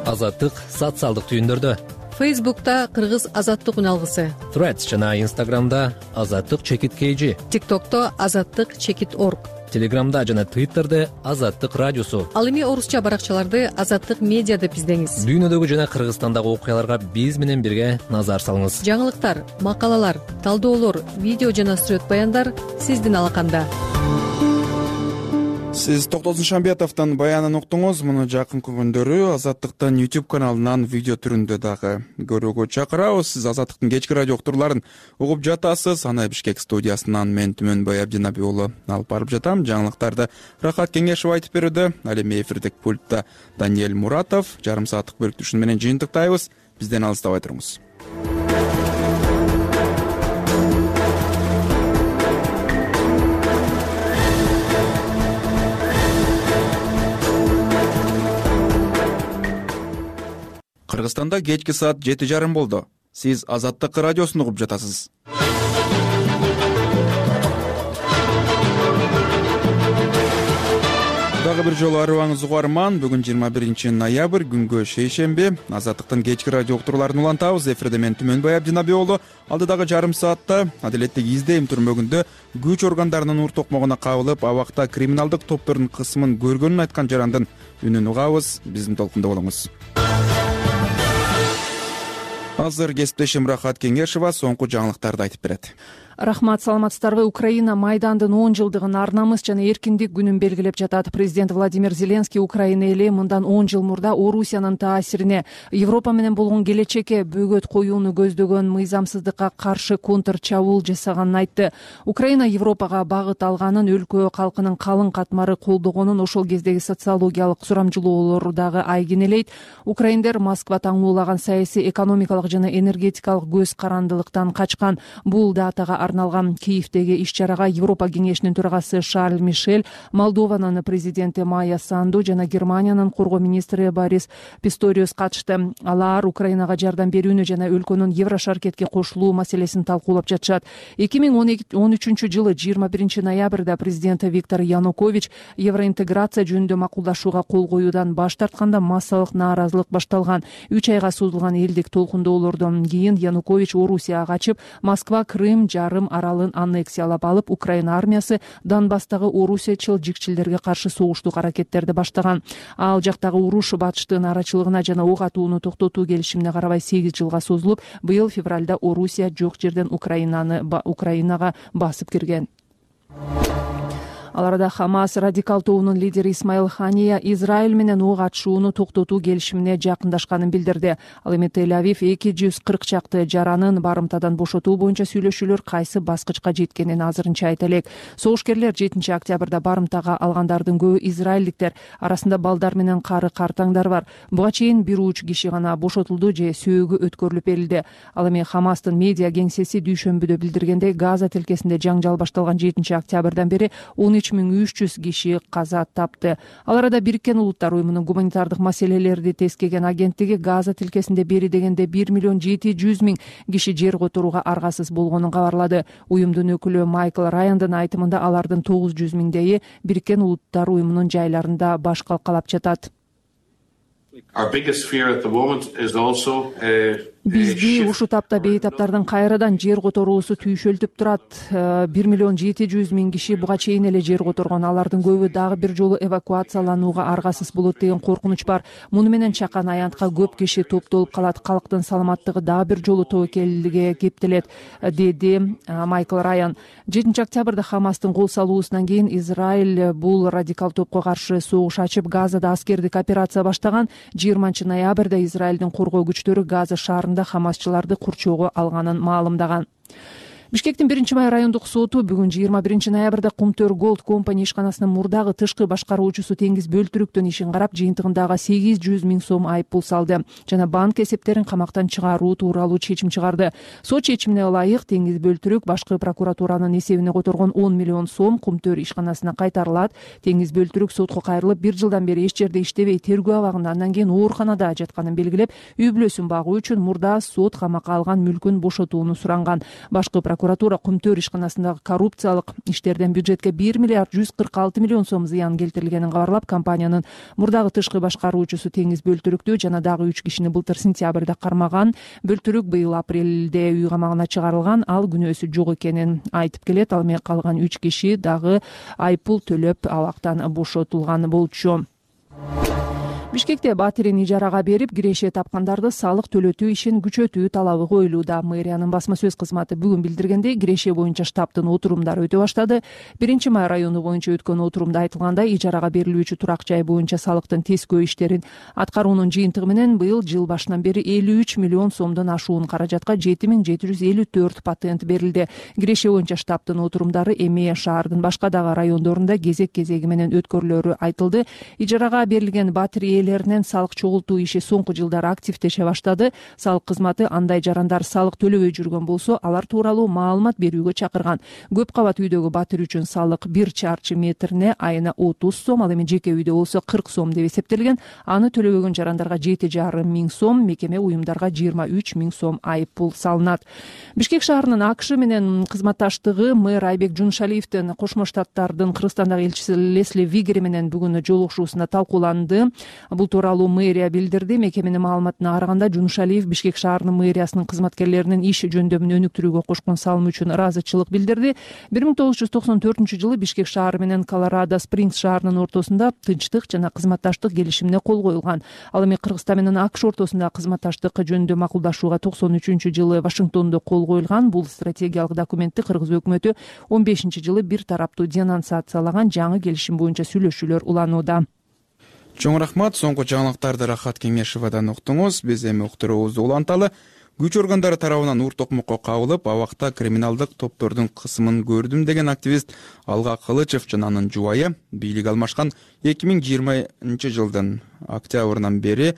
Азаттык социалдык түйүндөрдө. Фейсбукта Кыргыз азаттык үналгысы, Threads жана Инстаграмда Азаттык чекит кей жи, ТикТокто Азаттык чекит орг, Телеграмда жана Твиттерде Азаттык радиосу. Ал эми орусча баракчаларды Азаттык медиа деп издеңиз. Дүйнөдөгү жана Кыргызстандагы окуяларга биз менен бирге назар салыңыз. Жаңылыктар, макалалар, талдоолор, видео жана сюжет баяндар сиздин алаканда. Сиз Токтосун Шамбетовдун баянын уктуңуз. Муну жакынкы күндөрү Азаттыктын YouTube каналынан видео түрүндө дагы көрүүгө чакырабыз. Сиз Азаттыктын кечки радио уктурларын угуп жатасыз. Аны Бишкек студиясынан мен Түмөнбай Абдинаби уулу алып барып жатам. Жаңылыктарды Рахат Кеңешев айтып берүүдө. Ал эми эфирдик пультта Даниэль Муратов. Жарым сааттык бөлүктүшүн менен жыйынтыктайбыз. Бизден алыстабай туруңуз. Кыргызстанда кечки саат жети жарым болду. Сиз Азаттык радиосун угуп жатасыз. Дагы бир жолу арыбаңыз угарман. Бүгүн жыйырма биринчи ноябрь, күнгө шейшемби. Азаттыктын кечки радио уктурларын улантабыз. Эфирде мен Түмөнбай Абдинаби уулу. Алдыдагы жарым саатта адилеттик издейм түрмөгүндө күч органдарынын ур токмогуна кабылып, абакта криминалдык топтордун кысымын көргөнүн айткан жарандын үнүн угабыз. Биздин толкунда болуңуз. Азыр кесиптешим Рахат Кеңешева соңку жаңылыктарды айтып берет. Рахмат, саламатсыздарбы. Украина Майдандын он жылдыгын ар намыс жана эркиндик күнүн белгилеп жатат. Президент Владимир Зеленский Украина эли мындан он жыл мурда Орусиянын таасирине, Европа менен болгон келечекке бөгөт коюуну көздөгөн мыйзамсыздыкка каршы контр чабуул жасаганын айтты. Украина Европага багыт алганын, өлкө калкынын калың катмары колдогонун ошол кездеги социологиялык сурамжылоолор дагы айгинелейт. Украиндер Москва таңуулаган саясий, экономикалык жана энергетикалык көз карандылыктан качкан. Бул датага арналган Киевдеги иш-чарага Европа кеңешинин төрагасы Шарль Мишель, Молдованын президенти Майя Санду жана Германиянын коргоо министри Борис Писториус катышты. Алар Украинага жардам берүүнү жана өлкөнүн Еврошаркетке кошулуу маселесин талкуулап жатышат. эки миң он үчүнчү жылы жыйырма биринчи ноябрда президент Виктор Янукович евроинтеграция жөнүндө макулдашууга кол коюудан баш тартканда массалык нааразылык башталган. үч айга созулган элдик толкундоолордон кийин Янукович Орусияга качып, Москва Крым жарым аралын аннексиялап алып, Украина армиясы Донбасстагы орусиячыл жикчилерге каршы согуштук аракеттерди баштаган. Ал жактагы уруш батыштын арачылыгына жана ок атууну токтотуу келишимине карабай сегиз жылга созулуп, быйыл февралда Орусия жок жерден Украинаны Украинага басып кирген. Ал арада Хамас радикал тобунун лидери Исмаил Хания Израиль менен ок атышууну токтотуу келишимине жакындашканын билдирди. Ал эми Тель-Авив эки жүз кырк чакты жаранын барымтадан бошотуу боюнча сүйлөшүүлөр кайсы баскычка жеткенин азырынча айта элек. Согушкерлер жетинчи октябрда барымтага алгандардын көбү израилдиктер, арасында балдар менен кары картаңдар бар. Буга чейин бир уч киши гана бошотулду же сөөгү өткөрүлүп берилди. Ал эми Хамастын медиа кеңсеси дүйшөмбүдө билдиргендей, Газа тилкесинде жаңжал башталган жетинчи октябрдан бери он үч миң үч жүз киши каза тапты. Ал арада Бириккен Улуттар уюмунун гуманитардык маселелерди тескеген агенттиги Газа тилкесинде бери дегенде бир миллион жети жүз миң киши жер которууга аргасыз болгонун кабарлады. Уюмдун өкүлү Майкл Раяндын айтымында алардын тогуз жүз миңдейи Бириккен Улуттар уюмунун жайларында баш калкалап жатат. Бизди ушул тапта бейтаптардын кайрадан жер которуусу түйшөлтүп турат. бир миллион жети жүз миң киши буга чейин эле жер которгон. Алардын көбү дагы бир жолу эвакуацияланууга аргасыз болот деген коркунуч бар. Муну менен чакан аянтка көп киши топтолуп калат. Калктын саламаттыгы дагы бир жолу тобокелге кептелет, деди Майкл Раян. жетинчи октябрда Хамастын кол салуусунан кийин Израиль бул радикал топко каршы согуш ачып, Газада аскердик операция баштаган. жыйырманчы ноябрда Израилдин коргоо күчтөрү Газа шаарында Хамасчыларды курчоого алганын маалымдаган. Бишкектин биринчи май райондук соту бүгүн жыйырма биринчи ноябрда Кумтөр Голд компания ишканасынын мурдагы тышкы башкаруучусу Теңиз Бөлтүрүктүн ишин карап, жыйынтыгындагы сегиз жүз миң сом айыппул салды жана банк эсептерин камактан чыгаруу тууралуу чечим чыгарды. Сот чечимине ылайык Теңиз Бөлтүрүк башкы прокуратуранын эсебине которгон он миллион сом Кумтөр ишканасына кайтарылат. Теңиз Бөлтүрүк сотко кайрылып, бир жылдан бери эч жерде иштебей, тергөө абагында, андан кийин ооруканада жатканын белгилеп, үй бүлөсүн багуу үчүн мурда сот камакка алган мүлкүн бошотууну суранган. Башкы прокуратура Кумтөр ишканасындагы коррупциялык иштерден бюджетке бир миллиард жүз кырк алты миллион сом зыян келтирилгенин кабарлап, компаниянын мурдагы тышкы башкаруучусу Теңиз Бөлтүрүктү жана дагы үч кишини былтыр сентябрда кармаган. Бөлтүрүк быйыл апрелде үй камагына чыгарылган. Ал күнөөсү жок экенин айтып келет. Ал эми калган үч киши дагы айыппул төлөп абактан бошотулган болчу. Бишкекте батирин ижарага берип киреше тапкандарды салык төлөтүү ишин күчөтүү талабы коюлууда. Мэриянын басма сөз кызматы бүгүн билдиргендей, киреше боюнча штабтын отурумдары өтө баштады. биринчи май району боюнча өткөн отурумда айтылгандай, ижарага берилүүчү турак жай боюнча салыктын тескөө иштерин аткаруунун жыйынтыгы менен быйыл жыл башынан бери элүү үч миллион сомдон ашуун каражатка жети миң жети жүз элүү төрт патент берилди. Киреше боюнча штабтын отурумдары эми шаардын башка дагы райондорунда кезек кезеги менен өткөрүлөрү айтылды. Ижарага берилген батир ээлеринен салык чогултуу иши соңку жылдары активдеше баштады. Салык кызматы андай жарандар салык төлөбөй жүргөн болсо, алар тууралуу маалымат берүүгө чакырган. Көп кабат үйдөгү батир үчүн салык бир чарчы метрине айына отуз сом, ал эми жеке үйдө болсо кырк сом деп эсептелген. Аны төлөбөгөн жарандарга жети жарым миң сом, мекеме уюмдарга жыйырма үч миң сом айыппул салынат. Бишкек шаарынын АКШ менен кызматташтыгы мэр Айбек Жунушалиевдин Кошмо Штаттардын Кыргызстандагы элчиси Лесли Вигери менен бүгүн жолугушуусунда талкууланды. Бул тууралуу мэрия билдирди. Мекеменин маалыматына караганда, Жунушалиев Бишкек шаарынын мэриясынын кызматкерлеринин иш жөндөмүн өнүктүрүүгө кошкон салымы үчүн ыраазычылык билдирди. бир миң тогуз жүз токсон төртүнчү жылы Бишкек шаары менен Колорадо Спрингс шаарынын ортосунда тынчтык жана кызматташтык келишимине кол коюлган. Ал эми Кыргызстан менен АКШ ортосунда кызматташтык жөнүндө макулдашууга токсон үчүнчү жылы Вашингтондо кол коюлган. Бул стратегиялык документти Кыргыз өкмөтү он бешинчи жылы бир тараптуу денонсациялаган жаңы келишим боюнча сүйлөшүүлөр уланууда. Чоң рахмат. Соңку жаңылыктарды Рахат Кеңешевадан уктуңуз. Биз эми уктуруубузду уланталы. Күч органдары тарабынан ур токмокко кабылып, абакта криминалдык топтордун кысымын көрдүм деген активист Алга Кылычев жана анын жубайы бийлик алмашкан эки миң жыйырманчы жылдын октябрынан бери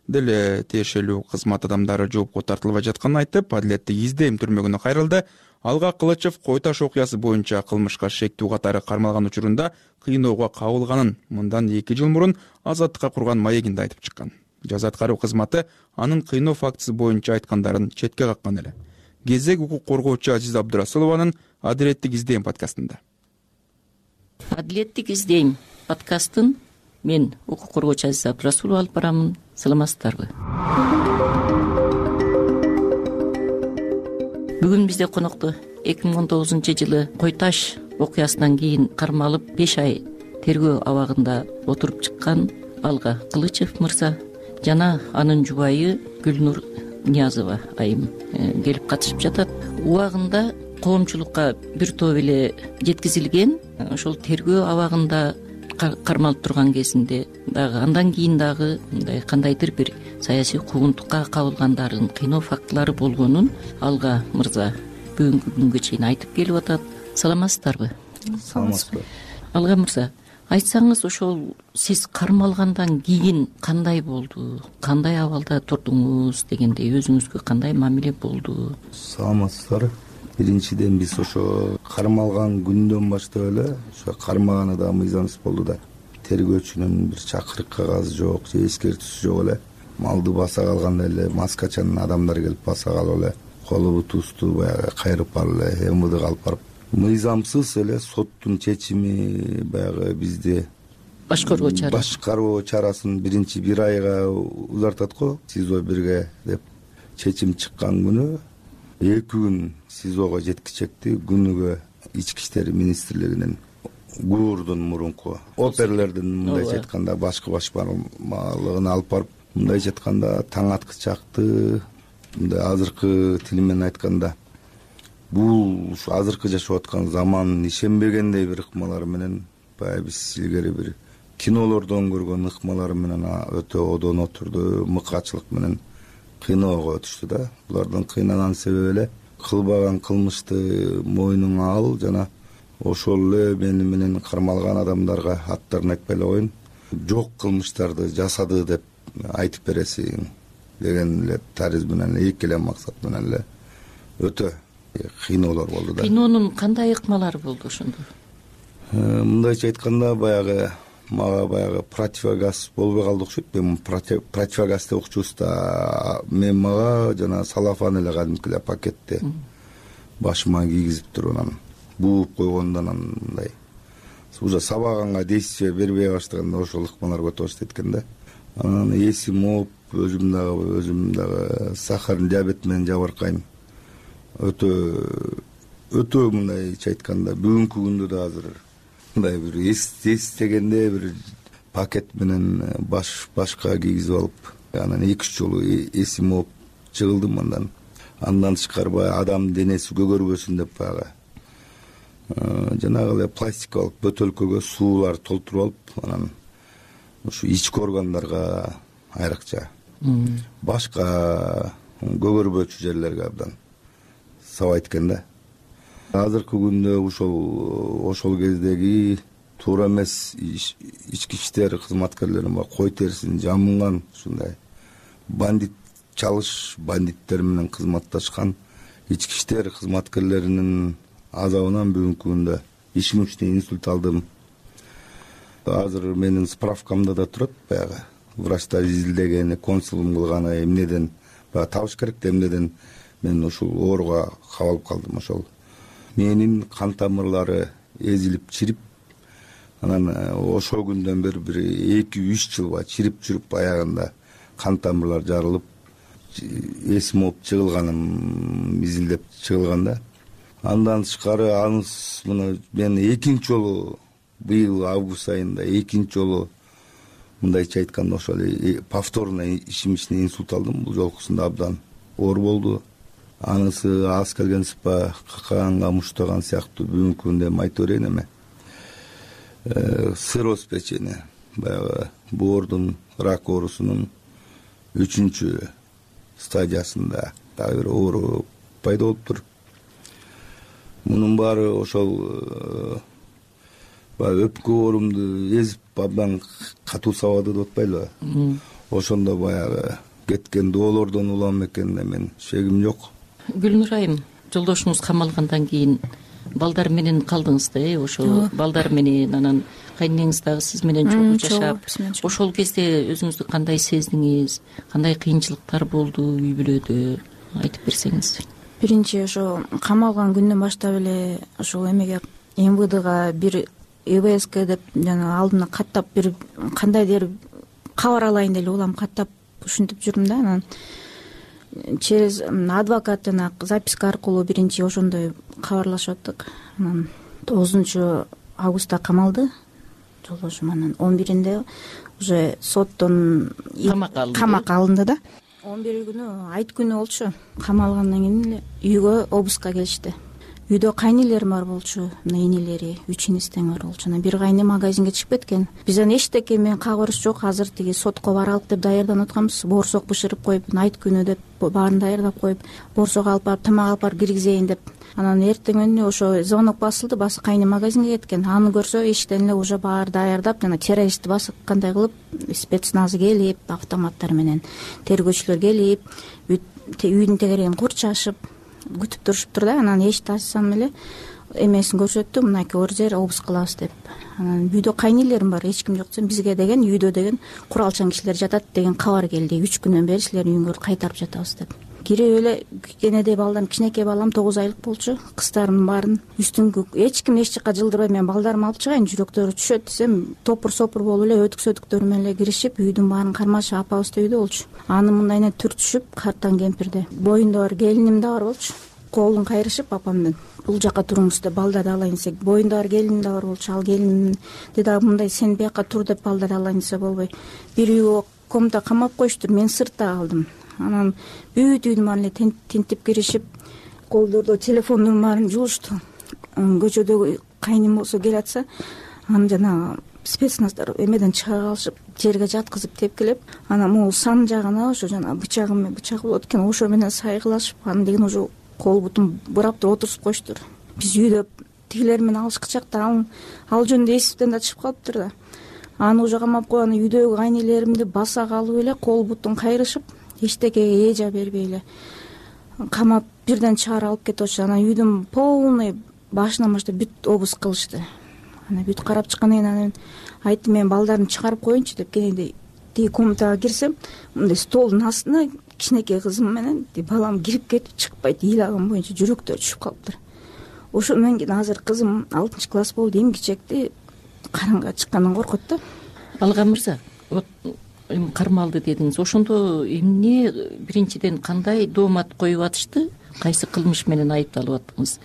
деле тиешелүү кызмат адамдары жоопко тартылбай жатканын айтып, адилеттик издейм түрмөгүнө кайрылды. Алга Кылычев Кой Таш окуясы боюнча кылмышка шектүү катары кармалган учурунда кыйноого кабылганын мындан эки жыл мурун Азаттыкка курган маегинде айтып чыккан. Жаза аткаруу кызматы анын кыйноо фактысы боюнча айткандарын четке каккан эле. Кезек укук коргоочу Азиза Абдурасулованын Адилеттик издейм подкастында. Адилеттик издейм подкастын мен укук коргоочу Азиза Абдурасулова алып барамын. Саламатсыздарбы? Бүгүн бизде конокто эки миң он тогузунчу жылы Кой Таш окуясынан кийин кармалып беш ай тергөө абагында отуруп чыккан Алга Кылычев мырза жана анын жубайы Гүлнур Ниязова айым келип катышып жатат. Убагында коомчулукка бир топ эле жеткизилген. Ошол тергөө абагында кармалып турган кезинде дагы андан кийин дагы мындай кандайдыр бир саясий куугунтукка кабылгандардын кыйноо фактылары болгонун Алга мырза бүгүнкү күнгө чейин айтып келип атат. Саламатсыздарбы? Саламатсызбы. Алга мырза, айтсаңыз, ошол сиз кармалгандан кийин кандай болду? Кандай абалда турдуңуз дегендей, өзүңүзгө кандай мамиле болду? Саламатсыздар. Биринчиден биз ошо кармалган күндөн баштап эле ошо кармаганы да мыйзамсыз болду да. Тергөөчүнүн бир чакырык кагазы жок, же эскертүүсү жок эле. Малды баса калганда эле маскачан адамдар келип баса калып эле колу бутубузду баягы кайрып алып эле эм удга алып барып, мыйзамсыз эле соттун чечими баягы бизди башкаруу чарасы башкаруу чарасын биринчи бир айга узартат го, СИЗО бирге деп чечим чыккан күнү эки күн СИЗОго жеткичекти. Күнүгө ички иштер министрлигинин ГУРдун мурунку оперлердин мындайча айтканда башкы башкармалыгына алып барып, мындайча айтканда таң аткычакты, мындай азыркы тил менен айтканда бул ушу азыркы жашап аткан замандын ишенбегендей бир ыкмалары менен баягы биз илгери бир кинолордон көргөн ыкмалары менен өтө одон отурду, мыкачылык менен кыйноого өтүштү да. Булардын кыйнаган себеби эле кылбаган кылмышты мойнуңа ал жана ошол эле мени менен кармалган адамдарга аттарын айтпай эле коеюн, жок кылмыштарды жасады деп айтып бересиң деген эле тариз менен эки эле максат менен эле өтө кыйноолор болду да. Кыйноонун кандай ыкмалары болду ошондо? Мындайча айтканда баягы мага баягы противогаз болбой калды окшойт. Мен противогазды окчубуз да, мен мага жана салафан эле кадимки эле пакетте башыма кийгизип туруп анан бууп койгондо анан мындай уже сабаганга действие бербей баштаганда ошол ыкмалар өтө баштайт экен да. Анан эсим ооп, өзүм дагы өзүм дагы сахардын диабети менен жабыркайм. Өтө өтө мындайча айтканда бүгүнкү күндө да азыр мындай бир эстегенде бир пакет менен баш башка кийгизип алып, анан эки үч жолу эсим ооп жыгылдым. Андан андан тышкары баягы адам денеси көгөрбөсүн деп баягы жанагы эле пластикалык бөтөлкөгө суулар толтуруп алып, анан ушу ички органдарга айрыкча башка көгөрбөчү жерлерге абдан сабайт экен да. Азыркы күндө ошол ошол кездеги туура эмес ички иштер кызматкерлерин кой терисин жамынган ушундай бандит чалыш бандиттер менен кызматташкан ички иштер кызматкерлеринин азабынан бүгүнкү күндө ишемичный инсульт алдым. Азыр менин справкамда да турат баягы врачтар изилдеген, консулум кылган эмнеден баягы табыш керек да эмнеден мен ушул ооруга кабалып калдым. Ошол менин кан тамырлары эзилип чирип, анан ошол күндөн бери бир эки үч жылга чирип жүрүп аягында кан тамырлар жарылып, эсим ооп жыгылганым изилдеп чыгылган да. Андан тышкары аныс мына мен экинчи жолу быйыл август айында экинчи жолу мындайча айтканда ошол повторный ишемичный инсульт алдым. Бул жолкусунда абдан оор болду. Анысы аз келген сыпа какаганга муштаган сыяктуу бүгүнкү күндө эми айта берейин эме. Цирроз печени, баягы боордун рак оорусунун үчүнчү стадиясында дагы бир оору пайда болуптур. Мунун баары ошол баягы өпкө оорумду эзип абдан катуу сабады деп атпайлыбы? Ошондо баягы кеткен доолордон улам экен, мен шегим жок. Гүлнур айым, жолдошуңуз камалгандан кийин балдар менен калдыңыз да, э? Ошол балдар менен, анан кайнеңиз дагы сиз менен чогуу жашап, ошол кезде өзүңүздү кандай сездиңиз? Кандай кыйынчылыктар болду үй бүлөдө? Айтып берсеңиз. Биринчи ошо камалган күндөн баштап эле ошол эмеге эм вэ дга бир э вэ эске деп жана алдына каттап бир кандайдыр кабар алайын деп улам каттап ушинтип жүрдүм да. Анан через адвокаттын записка аркылуу биринчи ошондой кабарлашып аттык. Анан тогузунчу августта камалды жолдошум. Анан он биринде уже соттон камакка алынды да. он бир күнү айт күнү болчу. Камалгандан кийин эле үйгө обыска келишти. Үйдө кайнелерим бар болчу, энелери, үч инистең бар болчу. Анан бир кайны магазинге чыгып кеткен. Биз аны эчтеке менен кагырыш жок, азыр тиги сотко баралык деп даярданып атканбыз. Борсок бышырып коюп, айт күнү деп баарын даярдап коюп, борсого алып барып тамак алып барып киргизейин деп. Анан эртеңүнү ошо звонок басылды, басы кайны магазинге кеткен. Аны көрсө эшиктен эле уже баары даярдап, жана террористти баскандай кылып, спецназ келип, автоматтар менен тергөөчүлөр келип, үйдүн тегерегин курчашып күтүп турушуптур да. Анан эшикти ачсам эле эмесин көрсөттү, мынакей оор жер обыск кылабыз деп. Анан үйдө кайнелерим бар, эч ким жок десем, бизге деген үйдө деген куралчан кишилер жатат деген кабар келди. үч күндөн бери силердин үйүңөрдү кайтарып жатабыз деп. Кирип эле кенедей балдарым, кичинекей балам тогуз айлык болчу. Кыздарымдын баарын үстүнгү эч ким эч жака жылдырбай мен балдарымды алып чыгайын, жүрөктөрү түшөт десем, топур сопур болуп эле өтүк сөтүктөр менен эле киришип, үйдүн баарын кармашып, апабыз да үйдө болчу. Аны мындайынан түртүшүп, картан кемпирде боюнда бар келиним да бар болчу. Колун кайрышып апамдын, бул жака туруңуз деп балдарды алайын десек, боюнда бар келиним да бар болчу. Ал келиним дагы мындай сен бияка тур деп балдарды алайын десе болбой. Бир үйгө комната камап коюштур, мен сыртта калдым. Анан бүт үйдүн баарын эле тинтип киришип, колдордо телефондун баарын жуулушту. Көчөдөгү кайным болсо келатса, аны жанагы спецназдар эмеден чыгара калышып, жерге жаткызып тепкилеп, анан могул сан жагына ошо жанагы бычагы менен бычак болот экен, ошо менен сайгылашып, анан деген уже кол бутун бурап туруп отурушуп коюштур. Биз үйдө тигилер менен алышкы чакта ал ал жөнүндө эсиптен да чыгып калыптыр да. Аны уже камап койгон үйдөгү кайнелеримди баса калып эле кол бутун кайрышып, эчтекеге эжа бербей эле камап бирден чыгарып алып кетип атышты. Анан үйдүн полный башынан баштап бүт обыск кылышты. Анан бүт карап чыккандан кийин анан айттым, мен балдарымды чыгарып коеюнчу деп кенедей тиги комнатага кирсем, мындай столдун астына кичинекей кызым менен балам кирип кетип чыкпайт, ыйлаган боюнча жүрөктөрү түшүп калыптыр. Ошо менен кийин азыр кызым алтынчы класс болду, эмгичекти, караңга чыккандан коркот да. Алга мырза, вот эми кармалды дедиңиз. Ошондо эмне, биринчиден кандай доомат коюп атышты? Кайсы кылмыш менен айыпталып аттыңыз?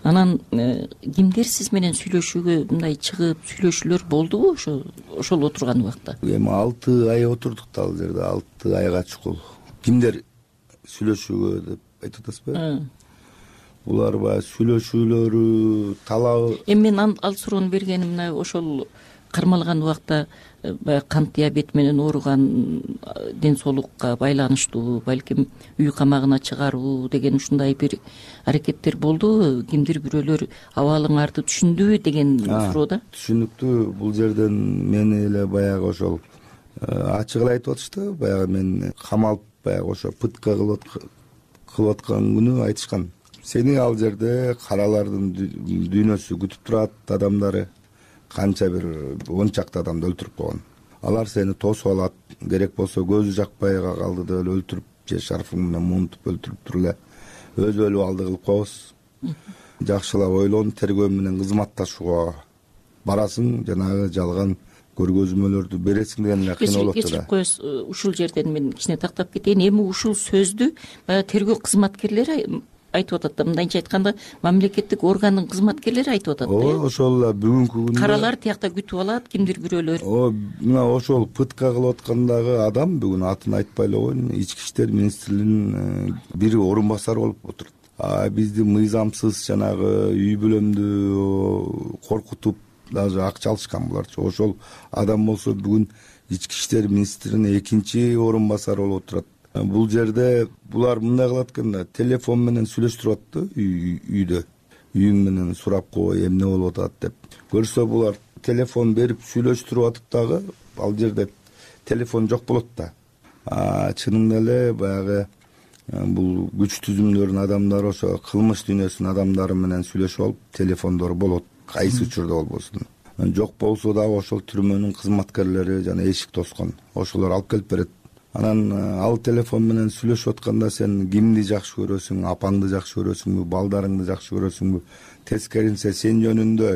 Анан кимдер сиз менен сүйлөшүүгө мындай чыгып сүйлөшүүлөр болдубу ошо ошол отурган убакта? Эми алты ай отурдук да ал жерде, алты айга чукул. Кимдер сүйлөшүүгө деп айтып атасызбы? Булар баягы сүйлөшүүлөрү, талабы. Эми мен ал суроону бергеним мына ошол кармалган убакта баягы кант диабети менен ооруган, ден соолукка байланыштуу, балким үй камагына чыгаруу деген ушундай бир аракеттер болдубу? Кимдир бирөөлөр абалыңарды түшүндүбү деген суроо да. Түшүнүктүү. Бул жерден мени эле баягы ошол ачык эле айтып атышты. Баягы мен камалып баягы ошо пытка кылып аткан күнү айтышкан. Сени ал жерде каралардын дүйнөсү күтүп турат, адамдары канча бир он чакты адамды өлтүрүп койгон. Алар сени тосуп алат, керек болсо көзү жакпай калды деп эле өлтүрүп, же шарфың менен муунтуп өлтүрүп туруп эле өзү өлүп алды кылып коебуз. Жакшылап ойлон, тергөө менен кызматташууга барасың, жанагы жалган көргөзмөлөрдү бересиң деген эле кыйын болот да. Кечирип коесуз, ушул жерден мен кичине тактап кетейин. Эми ушул сөздү баягы тергөө кызматкерлери айтып атат да, мындайча айтканда мамлекеттик органдын кызматкерлери айтып атат да. Ооба, ошол эле бүгүнкү күндө каралар тиякта күтүп алат, кимдир бирөөлөр. Ооба, мына ошол пытка кылып аткандагы адам бүгүн атын айтпай эле коеюн, Ички иштер министрлигинин бир орун басары болуп отурат. А бизди мыйзамсыз жанагы үй бүлөмдү коркутуп даже акча алышкан буларчы. Ошол адам болсо бүгүн Ички иштер министринин экинчи орун басары болуп отурат. Бул жерде булар мындай кылат экен да, телефон менен сүйлөштүрүп атты үйдө. Үйүң менен сурап кой, эмне болуп атат деп. Көрсө булар телефон берип сүйлөштүрүп атып дагы ал жерде телефон жок болот да. А чынында эле баягы бул күч түзүмдөрүнүн адамдары ошо кылмыш дүйнөсүнүн адамдары менен сүйлөшүп алып, телефондору болот, кайсы учурда болбосун. Жок болсо дагы ошол түрмөнүн кызматкерлери жана эшик тоскон, ошолор алып келип берет. Анан ал телефон менен сүйлөшүп атканда сен кимди жакшы көрөсүң, апаңды жакшы көрөсүңбү, балдарыңды жакшы көрөсүңбү? Тескерисинче сен жөнүндө,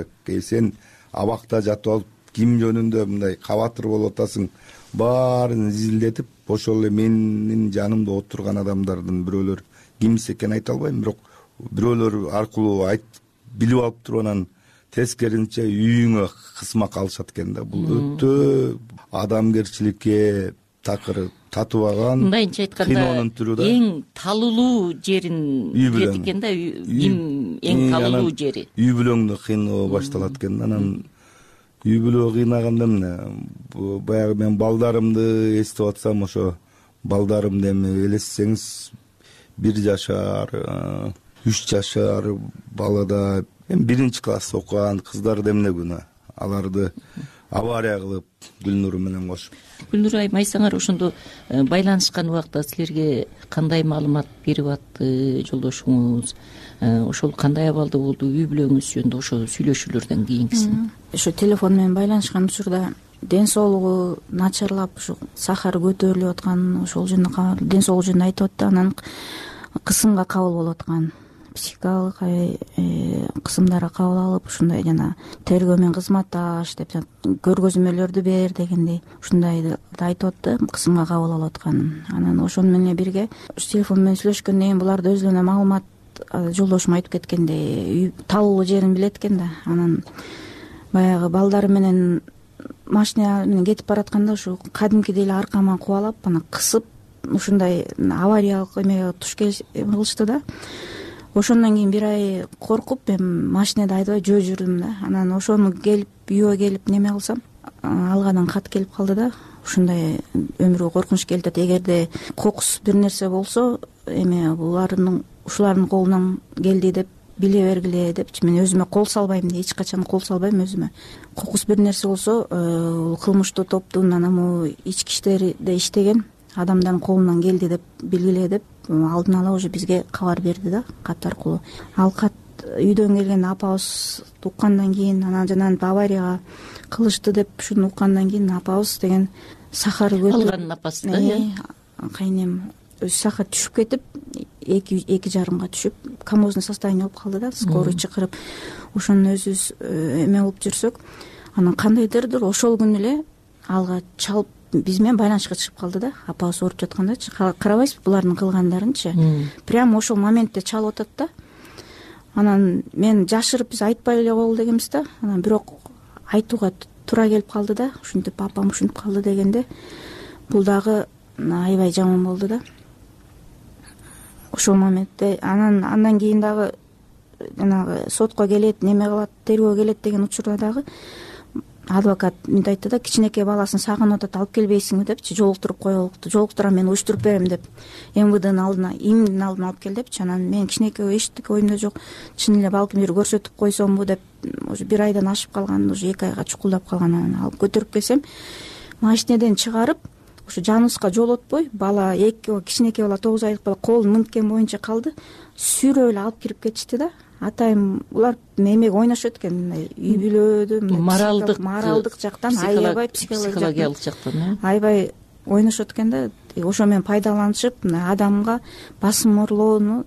сен абакта жатып алып ким жөнүндө мындай кабатыр болуп атасың, баарын изилдетип, ошол эле менин жанымда отурган адамдардын бирөөлөр кимиси экенин айта албайм, бирок бирөөлөр аркылуу айтып билип алып туруп анан тескерисинче үйүңө кысмак алышат экен да. Бул өтө адамгерчиликке такыр татыбаган, мындайча айтканда эң талуулуу жерин билет экен да, ким эң талуулуу жери. Үй бүлөңдү кыйноо башталат экен. Анан үй бүлө кыйнаганда эмне, баягы мен балдарымды эстеп атсам, ошо балдарымды эми элестесеңиз бир жашар, үч жашар балада, эми биринчи класс окуган кыздарды эмне күнөө, аларды авария кылып Гүлнур менен кошуп. Гүлнур айым, айсаңар ошондо байланышкан убакта силерге кандай маалымат берип атты жолдошуңуз? Ошол кандай абалда болду үй бүлөңүз жөнүндө ошо сүйлөшүүлөрдөн кийинкисин? Ошо телефон менен байланышкан учурда ден соолугу начарлап, ушу сахары көтөрүлүп аткан, ошол жөнүндө ден соолугу жөнүндө айтып атты. Анан кысымга кабыл болуп аткан, психикалык кысымдарга кабыл алып, ушундай жана тергөө менен кызматташ деп көргөзмөлөрдү бер дегендей ушундайды айтып атты, кысымга кабыл алып аткан. Анан ошону менен бирге ушу телефон менен сүйлөшкөндөн кийин буларды өзүнө маалымат, жолдошум айтып кеткендей, талуулуу жерин билет экен да. Анан баягы балдары менен машина менен кетип баратканда ушу кадимкидей эле аркаман кубалап, анан кысып, ушундай авариялык эмеге туш кылышты да. Ошондон кийин бир ай коркуп, мен машинада айдабай жөө жүрдүм да. Анан ошону келип, үйгө келип неме кылсам, алгадан кат келип калды да. Ушундай өмүргө коркунуч келип атат. Эгерде кокус бир нерсе болсо, эми булардын ушулардын колунан келди деп биле бергиле депчи, мен өзүмө кол салбайм, эч качан кол салбайм өзүмө. Кокус бир нерсе болсо, бул кылмыштуу топтун анаму ички иштерде иштеген адамдардын колунан келди деп билгиле деп алдын ала уже бизге кабар берди да, кат аркылуу. Ал кат үйдөн келген апабыз уккандан кийин, анан жанагы аварияга кылышты деп ушуну уккандан кийин апабыз деген сахары көтөрүп алганын апасы да, э? Кайнем сахар түшүп кетип эки эки жарымга түшүп комозный состояние болуп калды да, скорый чакырып ошону өзүбүз эме кылып жүрсөк, анан кандайдырдыр ошол күнү эле алга чалып биз менен байланышка чыгып калды да, апабыз ооруп жаткандачы. Карабайсызбы булардын кылгандарынчы, прямо ошол моментте чалып атат да. Анан мен жашырып биз айтпай эле коелу дегенбиз да, анан бирок айтууга туура келип калды да, ушинтип апам ушинтип калды дегенде бул дагы аябай жаман болду да ошол моментте. Анан андан кийин дагы жанагы сотко келет, неме кылат, тергөө келет деген учурда дагы адвокат мынтип айтты да, кичинекей баласын сагынып атат, алып келбейсиңби депчи, жолуктуруп коелу, жолуктурам, мен уюштуруп берем деп эм вэ днын алдына, имдин алдына алып кел депчи. Анан мен кичинекей эчтеке оюмда жок, чын эле балким бир көрсөтүп койсомбу деп, уже бир айдан ашып калган, уже эки айга чукулдап калган. Анан алып көтөрүп келсем, машинеден чыгарып, ушу жаныбызга жолотпой, бала эки кичинекей бала, тогуз айлык бала колун мынткен боюнча калды, сүйрөп эле алып кирип кетишти да. Атайым булар эмеге ойношот экен, мындай үй бүлөдө, моралдык моралдык жактан, аябай психологиялык жактан аябай ойношот экен да. Ошо менен пайдаланышып, мына адамга басым орлоону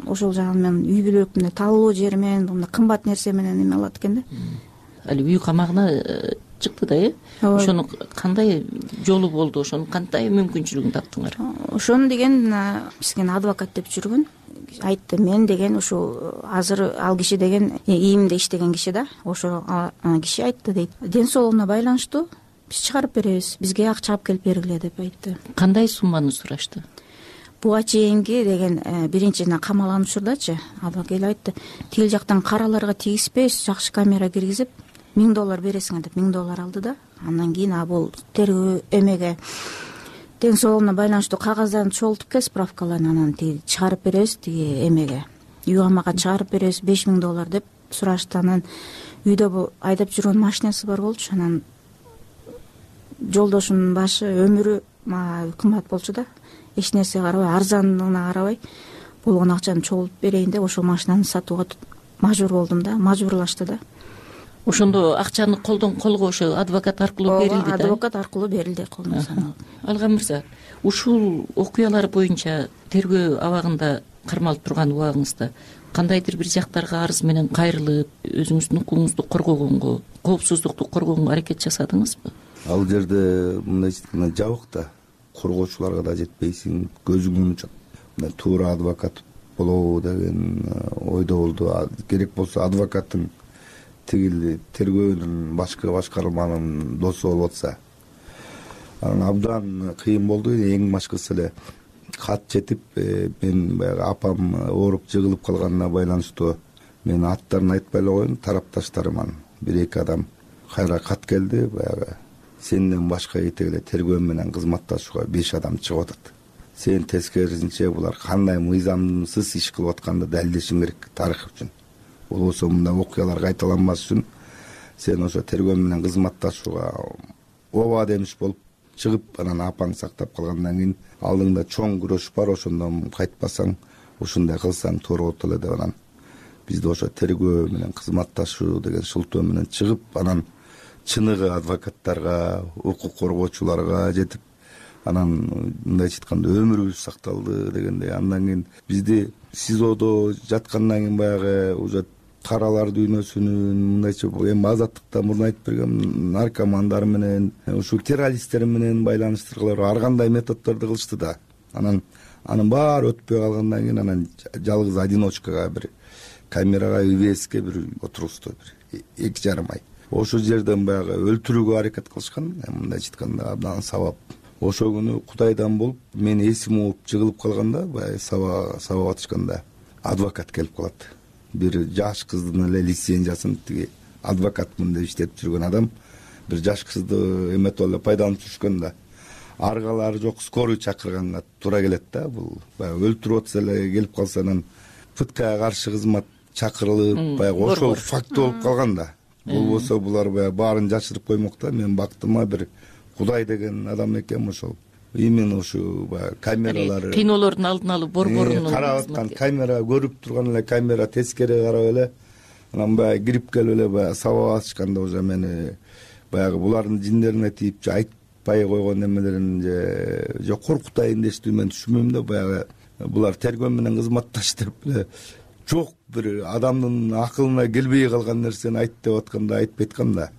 ошол жагы менен үй бүлөлүк мына талоо жери менен, мына кымбат нерсе менен эме кылат экен да. Али үй камагына чыкты да, э? Ошону кандай жолу болду, ошонун кандай мүмкүнчүлүгүн таптыңар? Ошону деген бизге адвокат деп жүргөн айтты. Мен деген ушу азыр ал киши деген ийимде иштеген киши да, ошо киши айтты дейт. Ден соолугуна байланыштуу биз чыгарып беребиз, бизге акча алып келип бергиле деп айтты. Кандай сумманы сурашты? Буга чейинки деген биринчи камалануучурдачы адвокат келип айтты, тил жактан караларга тийиспей жакшы камера киргизип миң доллар бересиңер деп миң доллар алды да. Андан кийин а бул тергөө эмеге ден соолугуна байланыштуу кагаздарын чогултуп кел, справкаларын, анан тиги чыгарып беребиз, тиги эмеге үй камакка чыгарып беребиз беш миң доллар деп сурашты. Анан үйдө айдап жүргөн машинасы бар болчу, анан жолдошунун башы өмүрү мага кымбат болчу да, эч нерсе карабай, арзандыгына карабай болгон акчаны чогултуп берейин деп ошол машинаны сатууга мажбур болдум да, мажбурлашты да. Ошондо акчаны колдон колго ошо адвокат аркылуу берилди да? Адвокат аркылуу берилди, колдон саналып. Алган мырза, ушул окуялар боюнча тергөө абагында кармалып турган убагыңызда кандайдыр бир жактарга арыз менен кайрылып, өзүңүздүн укугуңузду коргогонго, коопсуздукту коргогонго аракет жасадыңызбы? Ал жерде мындай айтканда жабык да, коргоочуларга да жетпейсиң, көзүңдүн учат. Мына туура адвокат болобу деген ойдо болду. Керек болсо адвокаттын тигил тергөөнүн башкы башкарманын досу болуп атса, анан абдан кыйын болду. Эң башкысы эле кат жетип, мен баягы апам ооруп жыгылып калганына байланыштуу мен аттарын айтпай эле коеюн, тарапташтарыман бир эки адам кайра кат келди. Баягы сенден башка эте эле тергөө менен кызматташууга беш адам чыгып атат. Сен тескерисинче булар кандай мыйзамсыз иш кылып атканды далилдешиң керек тарых үчүн. Болбосо мындай окуялар кайталанбаш үчүн сен ошо тергөө менен кызматташууга ооба демиш болуп чыгып, анан апаң сактап калгандан кийин алдыңда чоң күрөш бар, ошондон кайтпасаң, ушундай кылсаң туура болот эле деп анан бизди ошо тергөө менен кызматташуу деген шылтоо менен чыгып, анан чыныгы адвокаттарга, укук коргоочуларга жетип, анан мындайча айтканда өмүрүбүз сакталды дегендей. Андан кийин бизди СИЗОдо жаткандан кийин баягы уже каралар дүйнөсүнүн мындайча эми азаттыкта мурун айтып берген наркомандар менен, ушул террористтер менен байланыштыргылар ар кандай методдорду кылышты да. Анан анын баары өтпөй калгандан кийин анан жалгыз одиночкага бир камерага ИВСке бир отургузду, бир эки жарым ай. Ошол жерден баягы өлтүрүүгө аракет кылышкан, мындайча айтканда абдан сабап. Ошол күнү Кудайдан болуп, мен эсим ооп жыгылып калганда, баягы саба сабап атышканда адвокат келип калат. Бир жаш кыздын эле лицензиясын тиги адвокатмын деп иштеп жүргөн адам бир жаш кызды эметип эле пайдаланып жүрүшкөн да. Аргалары жок, скорый чакырганга туура келет да. Бул баягы өлтүрүп атса эле келип калса, анан пыткага каршы кызмат чакырылып, баягы ошол факт болуп калган да. Болбосо булар баягы баарын жашырып коймок да. Мен бактыма бир Кудай деген адам экен ошол. Именно ушу баягы камералары, кыйноолордун алдын алып борборунун карап аткан камера, көрүп турган эле камера тескери карап эле, анан баягы кирип келип эле баягы сабап атышканда уже мени баягы булардын жиндерине тийип айтып айтпай койгон эмелерин же же коркутайын дештүү мен түшүнбөйм да. Баягы булар тергөө менен кызматташ деп эле жок бир адамдын акылына келбей калган нерсени айт деп атканда айтпай айткан да.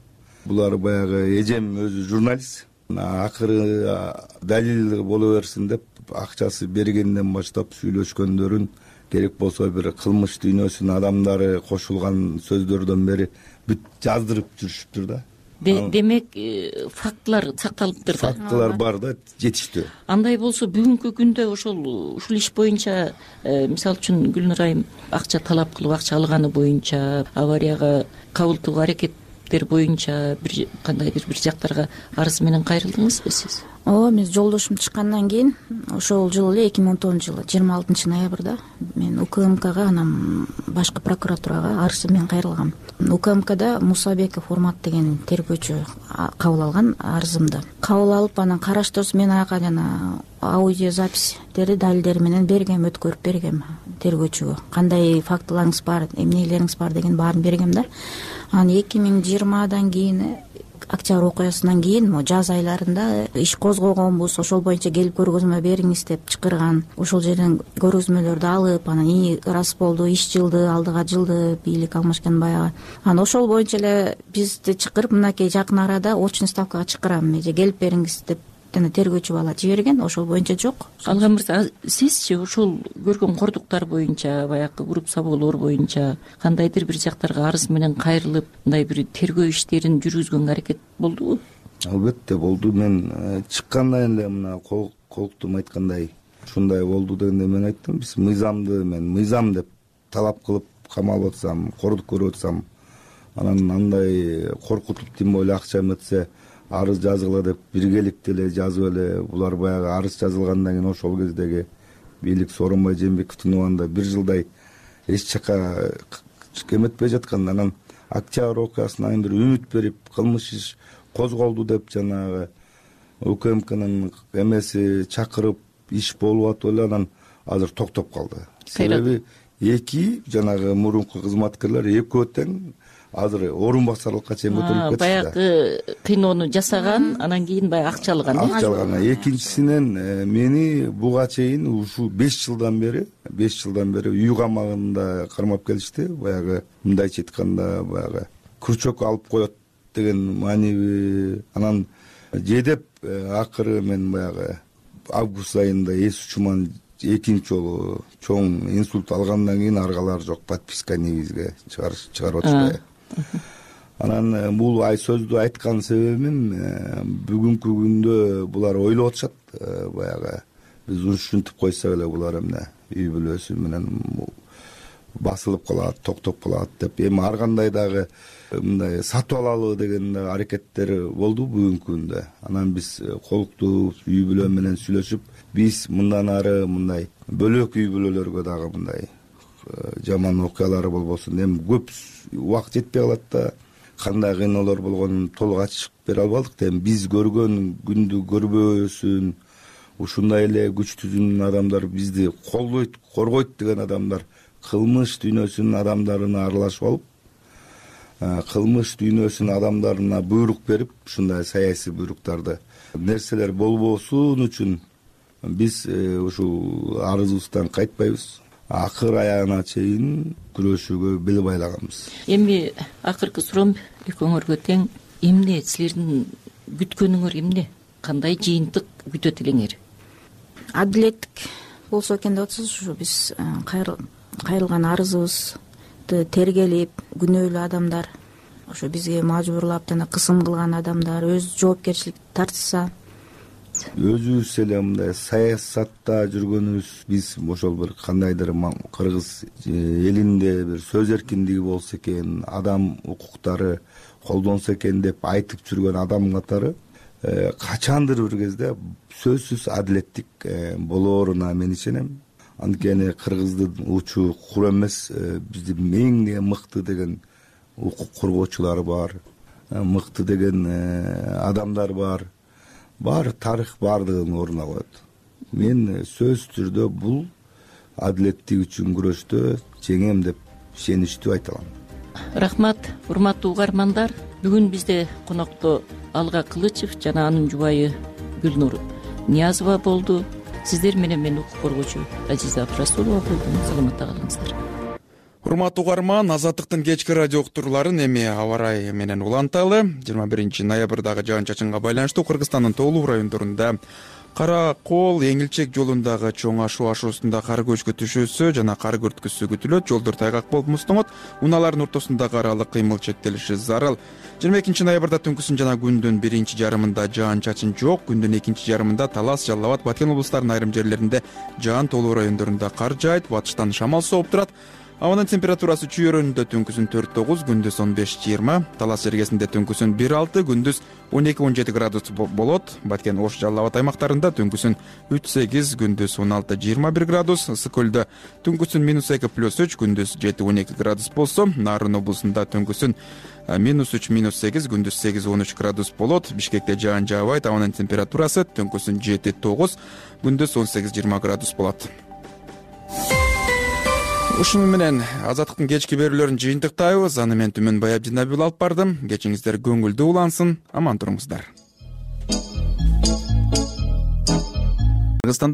Булар баягы эжем өзү журналист, акыры далил боло берсин деп акчасы бергенден баштап сүйлөшкөндөрүн, керек болсо бир кылмыш дүйнөсүнүн адамдары кошулган сөздөрдөн бери бүт жаздырып жүрүшүптүр да. Демек фактылар сакталыптыр да. Фактылар бар да, жетиштүү. Андай болсо бүгүнкү күндө ошол ушул иш боюнча мисалы үчүн Гүлнур айым акча талап кылып акча алганы боюнча, аварияга кабылтуу аракеттер боюнча бир кандайдыр бир жактарга арыз менен кайрылдыңызбы сиз? ооба, мен жолдошум чыккандан кийин ошол жылы эле эки миң он тогузунчу жылы жыйырма алтынчы ноябрда мен УКМКга анан башкы прокуратурага арыз менен кайрылгам. УКМКда Мусабеков Урмат деген тергөөчү кабыл алган арызымды. Кабыл алып анан караштырса мен ага жана аудиозаписьтерди далилдери менен бергем, өткөрүп бергем тергөөчүгө. Кандай фактыларыңыз бар, эмнелериңиз бар деген баарын бергем да. Анан эки миң жыйырмадан кийин октябрь окуясынан кийин могу жаз айларында иш козгогонбуз, ошол боюнча келип көргөзмө бериңиз деп чакырган. Ошол жерден көргөзмөлөрдү алып, анан ии ырас болду, иш жылды, алдыга жылды, бийлик алмашкан баягы. Анан ошол боюнча эле бизди чакырып, мынакей жакын арада очный ставкага чакырам, эже келип бериңиз деп жана тергөөчү бала жиберген. Ошол боюнча жок. Алган мырза, сизчи ошол көргөн кордуктар боюнча, баягы уруп-сабоолор боюнча кандайдыр бир жактарга арыз менен кайрылып, мындай бир тергөө иштерин жүргүзгөнгө аракет болдубу? Албетте болду. Мен чыккандан эле мына колуктум айткандай ушундай болду дегенде мен айттым, биз мыйзамды мен мыйзам деп талап кылып камалып атсам, кордук көрүп атсам, анан андай коркутуп тим эле акча эметсе арыз жазгыла деп биргеликте эле жазып эле булар баягы арыз жазылгандан кийин ошол кездеги бийлик Сооронбай Жээнбековдун убагында бир жылдай эч жака эметпей жаткан. Анан октябрь окуясынан бир үмүт берип кылмыш иш козголду деп жанагы УКМКнын эмеси чакырып иш болуп атып эле анан азыр токтоп калды. Себеби эки жанагы мурунку кызматкерлер экөө тең азыр орун басарлыкка чейин көтөрүлүп кетти. Баягы кыйноону жасаган, анан кийин баягы акча алган. Акча алган. Экинчисинен мени буга чейин ушул беш жылдан бери, беш жылдан бери үй камагында кармап келишти. Баягы мындайча айтканда баягы крючок алып коет деген маанеби. Анан жедеп акыры мен баягы август айында эс учуман экинчи жолу чоң инсульт алгандан кийин аргалар жок, подписка негизге чыгарып атышпайбы. Анан бул ай сөздү айткан себебим бүгүнкү күндө булар ойлоп атышат, баягы биз ушинтип койсок эле булар эмне үй бүлөсү менен басылып калат, токтоп калат деп эми ар кандай дагы мындай сатып алалы деген аракеттер болду бүгүнкү күндө. Анан биз колуктуп үй бүлө менен сүйлөшүп, биз мындан ары мындай бөлөк үй бүлөлөргө дагы мындай жаман окуялары болбосун. Эми көп убакыт жетпей калат да, кандай кыйноолор болгонун толук ачып бере албадык да. Эми биз көргөн күндү көрбөсүн, ушундай эле күчтүүзүн адамдар бизди колдойт, коргойт деген адамдар кылмыш дүйнөсүнүн адамдарына аралашып алып, кылмыш дүйнөсүнүн адамдарына буйрук берип, ушундай саясий буйруктарды нерселер болбосун үчүн биз ушул арызыбыздан кайтпайбыз. Акыр аягына чейин күрөшүүгө бел байлаганбыз. Эми акыркы суроом экөөңөргө тең. Эмне силердин күткөнүңөр эмне? Кандай жыйынтык күтөт элеңер? Адилеттик болсо экен деп атсыз. Ушу биз кайрылган арызыбызды тергелип, күнөөлүү адамдар, ошо бизге мажбурлап жана кысым кылган адамдар өз жоопкерчилик тартса, өзүбүз эле мындай саясатта жүргөнүбүз, биз ошол бир кандайдыр кыргыз элинде бир сөз эркиндиги болсо экен, адам укуктары колдонсо экен деп айтып жүргөн адам катары качандыр бир кезде сөзсүз адилеттик болооруна мен ишенем. Анткени кыргыздын учу кур эмес, биздин эң мыкты деген укук коргоочулар бар, мыкты деген адамдар бар. Бар тарых бардыгын ордуна коет. Мен сөз түрдө бул адилеттик үчүн күрөштө жеңем деп ишеничтүү айта алам. рахмат, урматтуу угармандар. Бүгүн бизде конокто Алга Кылычев жана анын жубайы Гүлнур Ниязова болду. Сиздер менен мен укук коргоочу Азиза Абдрасулова болдум. Саламатта калыңыздар. Урматтуу угарман, Азаттыктын кечки радио уктурууларын эми аба ырайы менен уланталы. жыйырма биринчи ноябрдагы жаан-чачынга байланыштуу Кыргызстандын тоолуу райондорунда Кара Кол Эңилчек жолундагы чоң ашуу ашуусунда кар көчкү түшүүсү жана кар күрткүсү күтүлөт. Жолдор тайгак болуп муздоңот. Унаалардын ортосундагы аралык кыймыл чектелиши зарыл. жыйырма экинчи ноябрда түнкүсүн жана күндүн биринчи жарымында жаан-чачын жок. Күндүн экинчи жарымында Талас, Жалал Абад, Баткен облустарынын айрым жерлеринде жаан тоолуу райондорунда кар жаайт. Батыштан шамал сооп турат. Абанын температурасы Чүй өрөөнүндө түнкүсүн төрт тогуз, күндүз он беш жыйырма, Талас жергесинде түнкүсүн бир алты, күндүз он эки он жети градус болот. Баткен, Ош, Жалал Абад аймактарында түнкүсүн үч сегиз, күндүз он алты жыйырма бир градус, Ысык көлдө түнкүсүн минус эки плюс үч, күндүз жети он эки градус болсо, Нарын облусунда түнкүсүн минус үч минус сегиз, күндүз сегиз он үч градус болот. Бишкекте жаан жаабайт, абанын температурасы түнкүсүн жети тогуз, күндүз он сегиз жыйырма градус болот. Ушуну менен Азаттыктын кечки берүүлөрүн жыйынтыктайбыз. Аны мен Түмөн Баябдинабил алып бардым. Кечиңиздер көңүлдүү улансын, аман туруңуздар. Кыргызстанда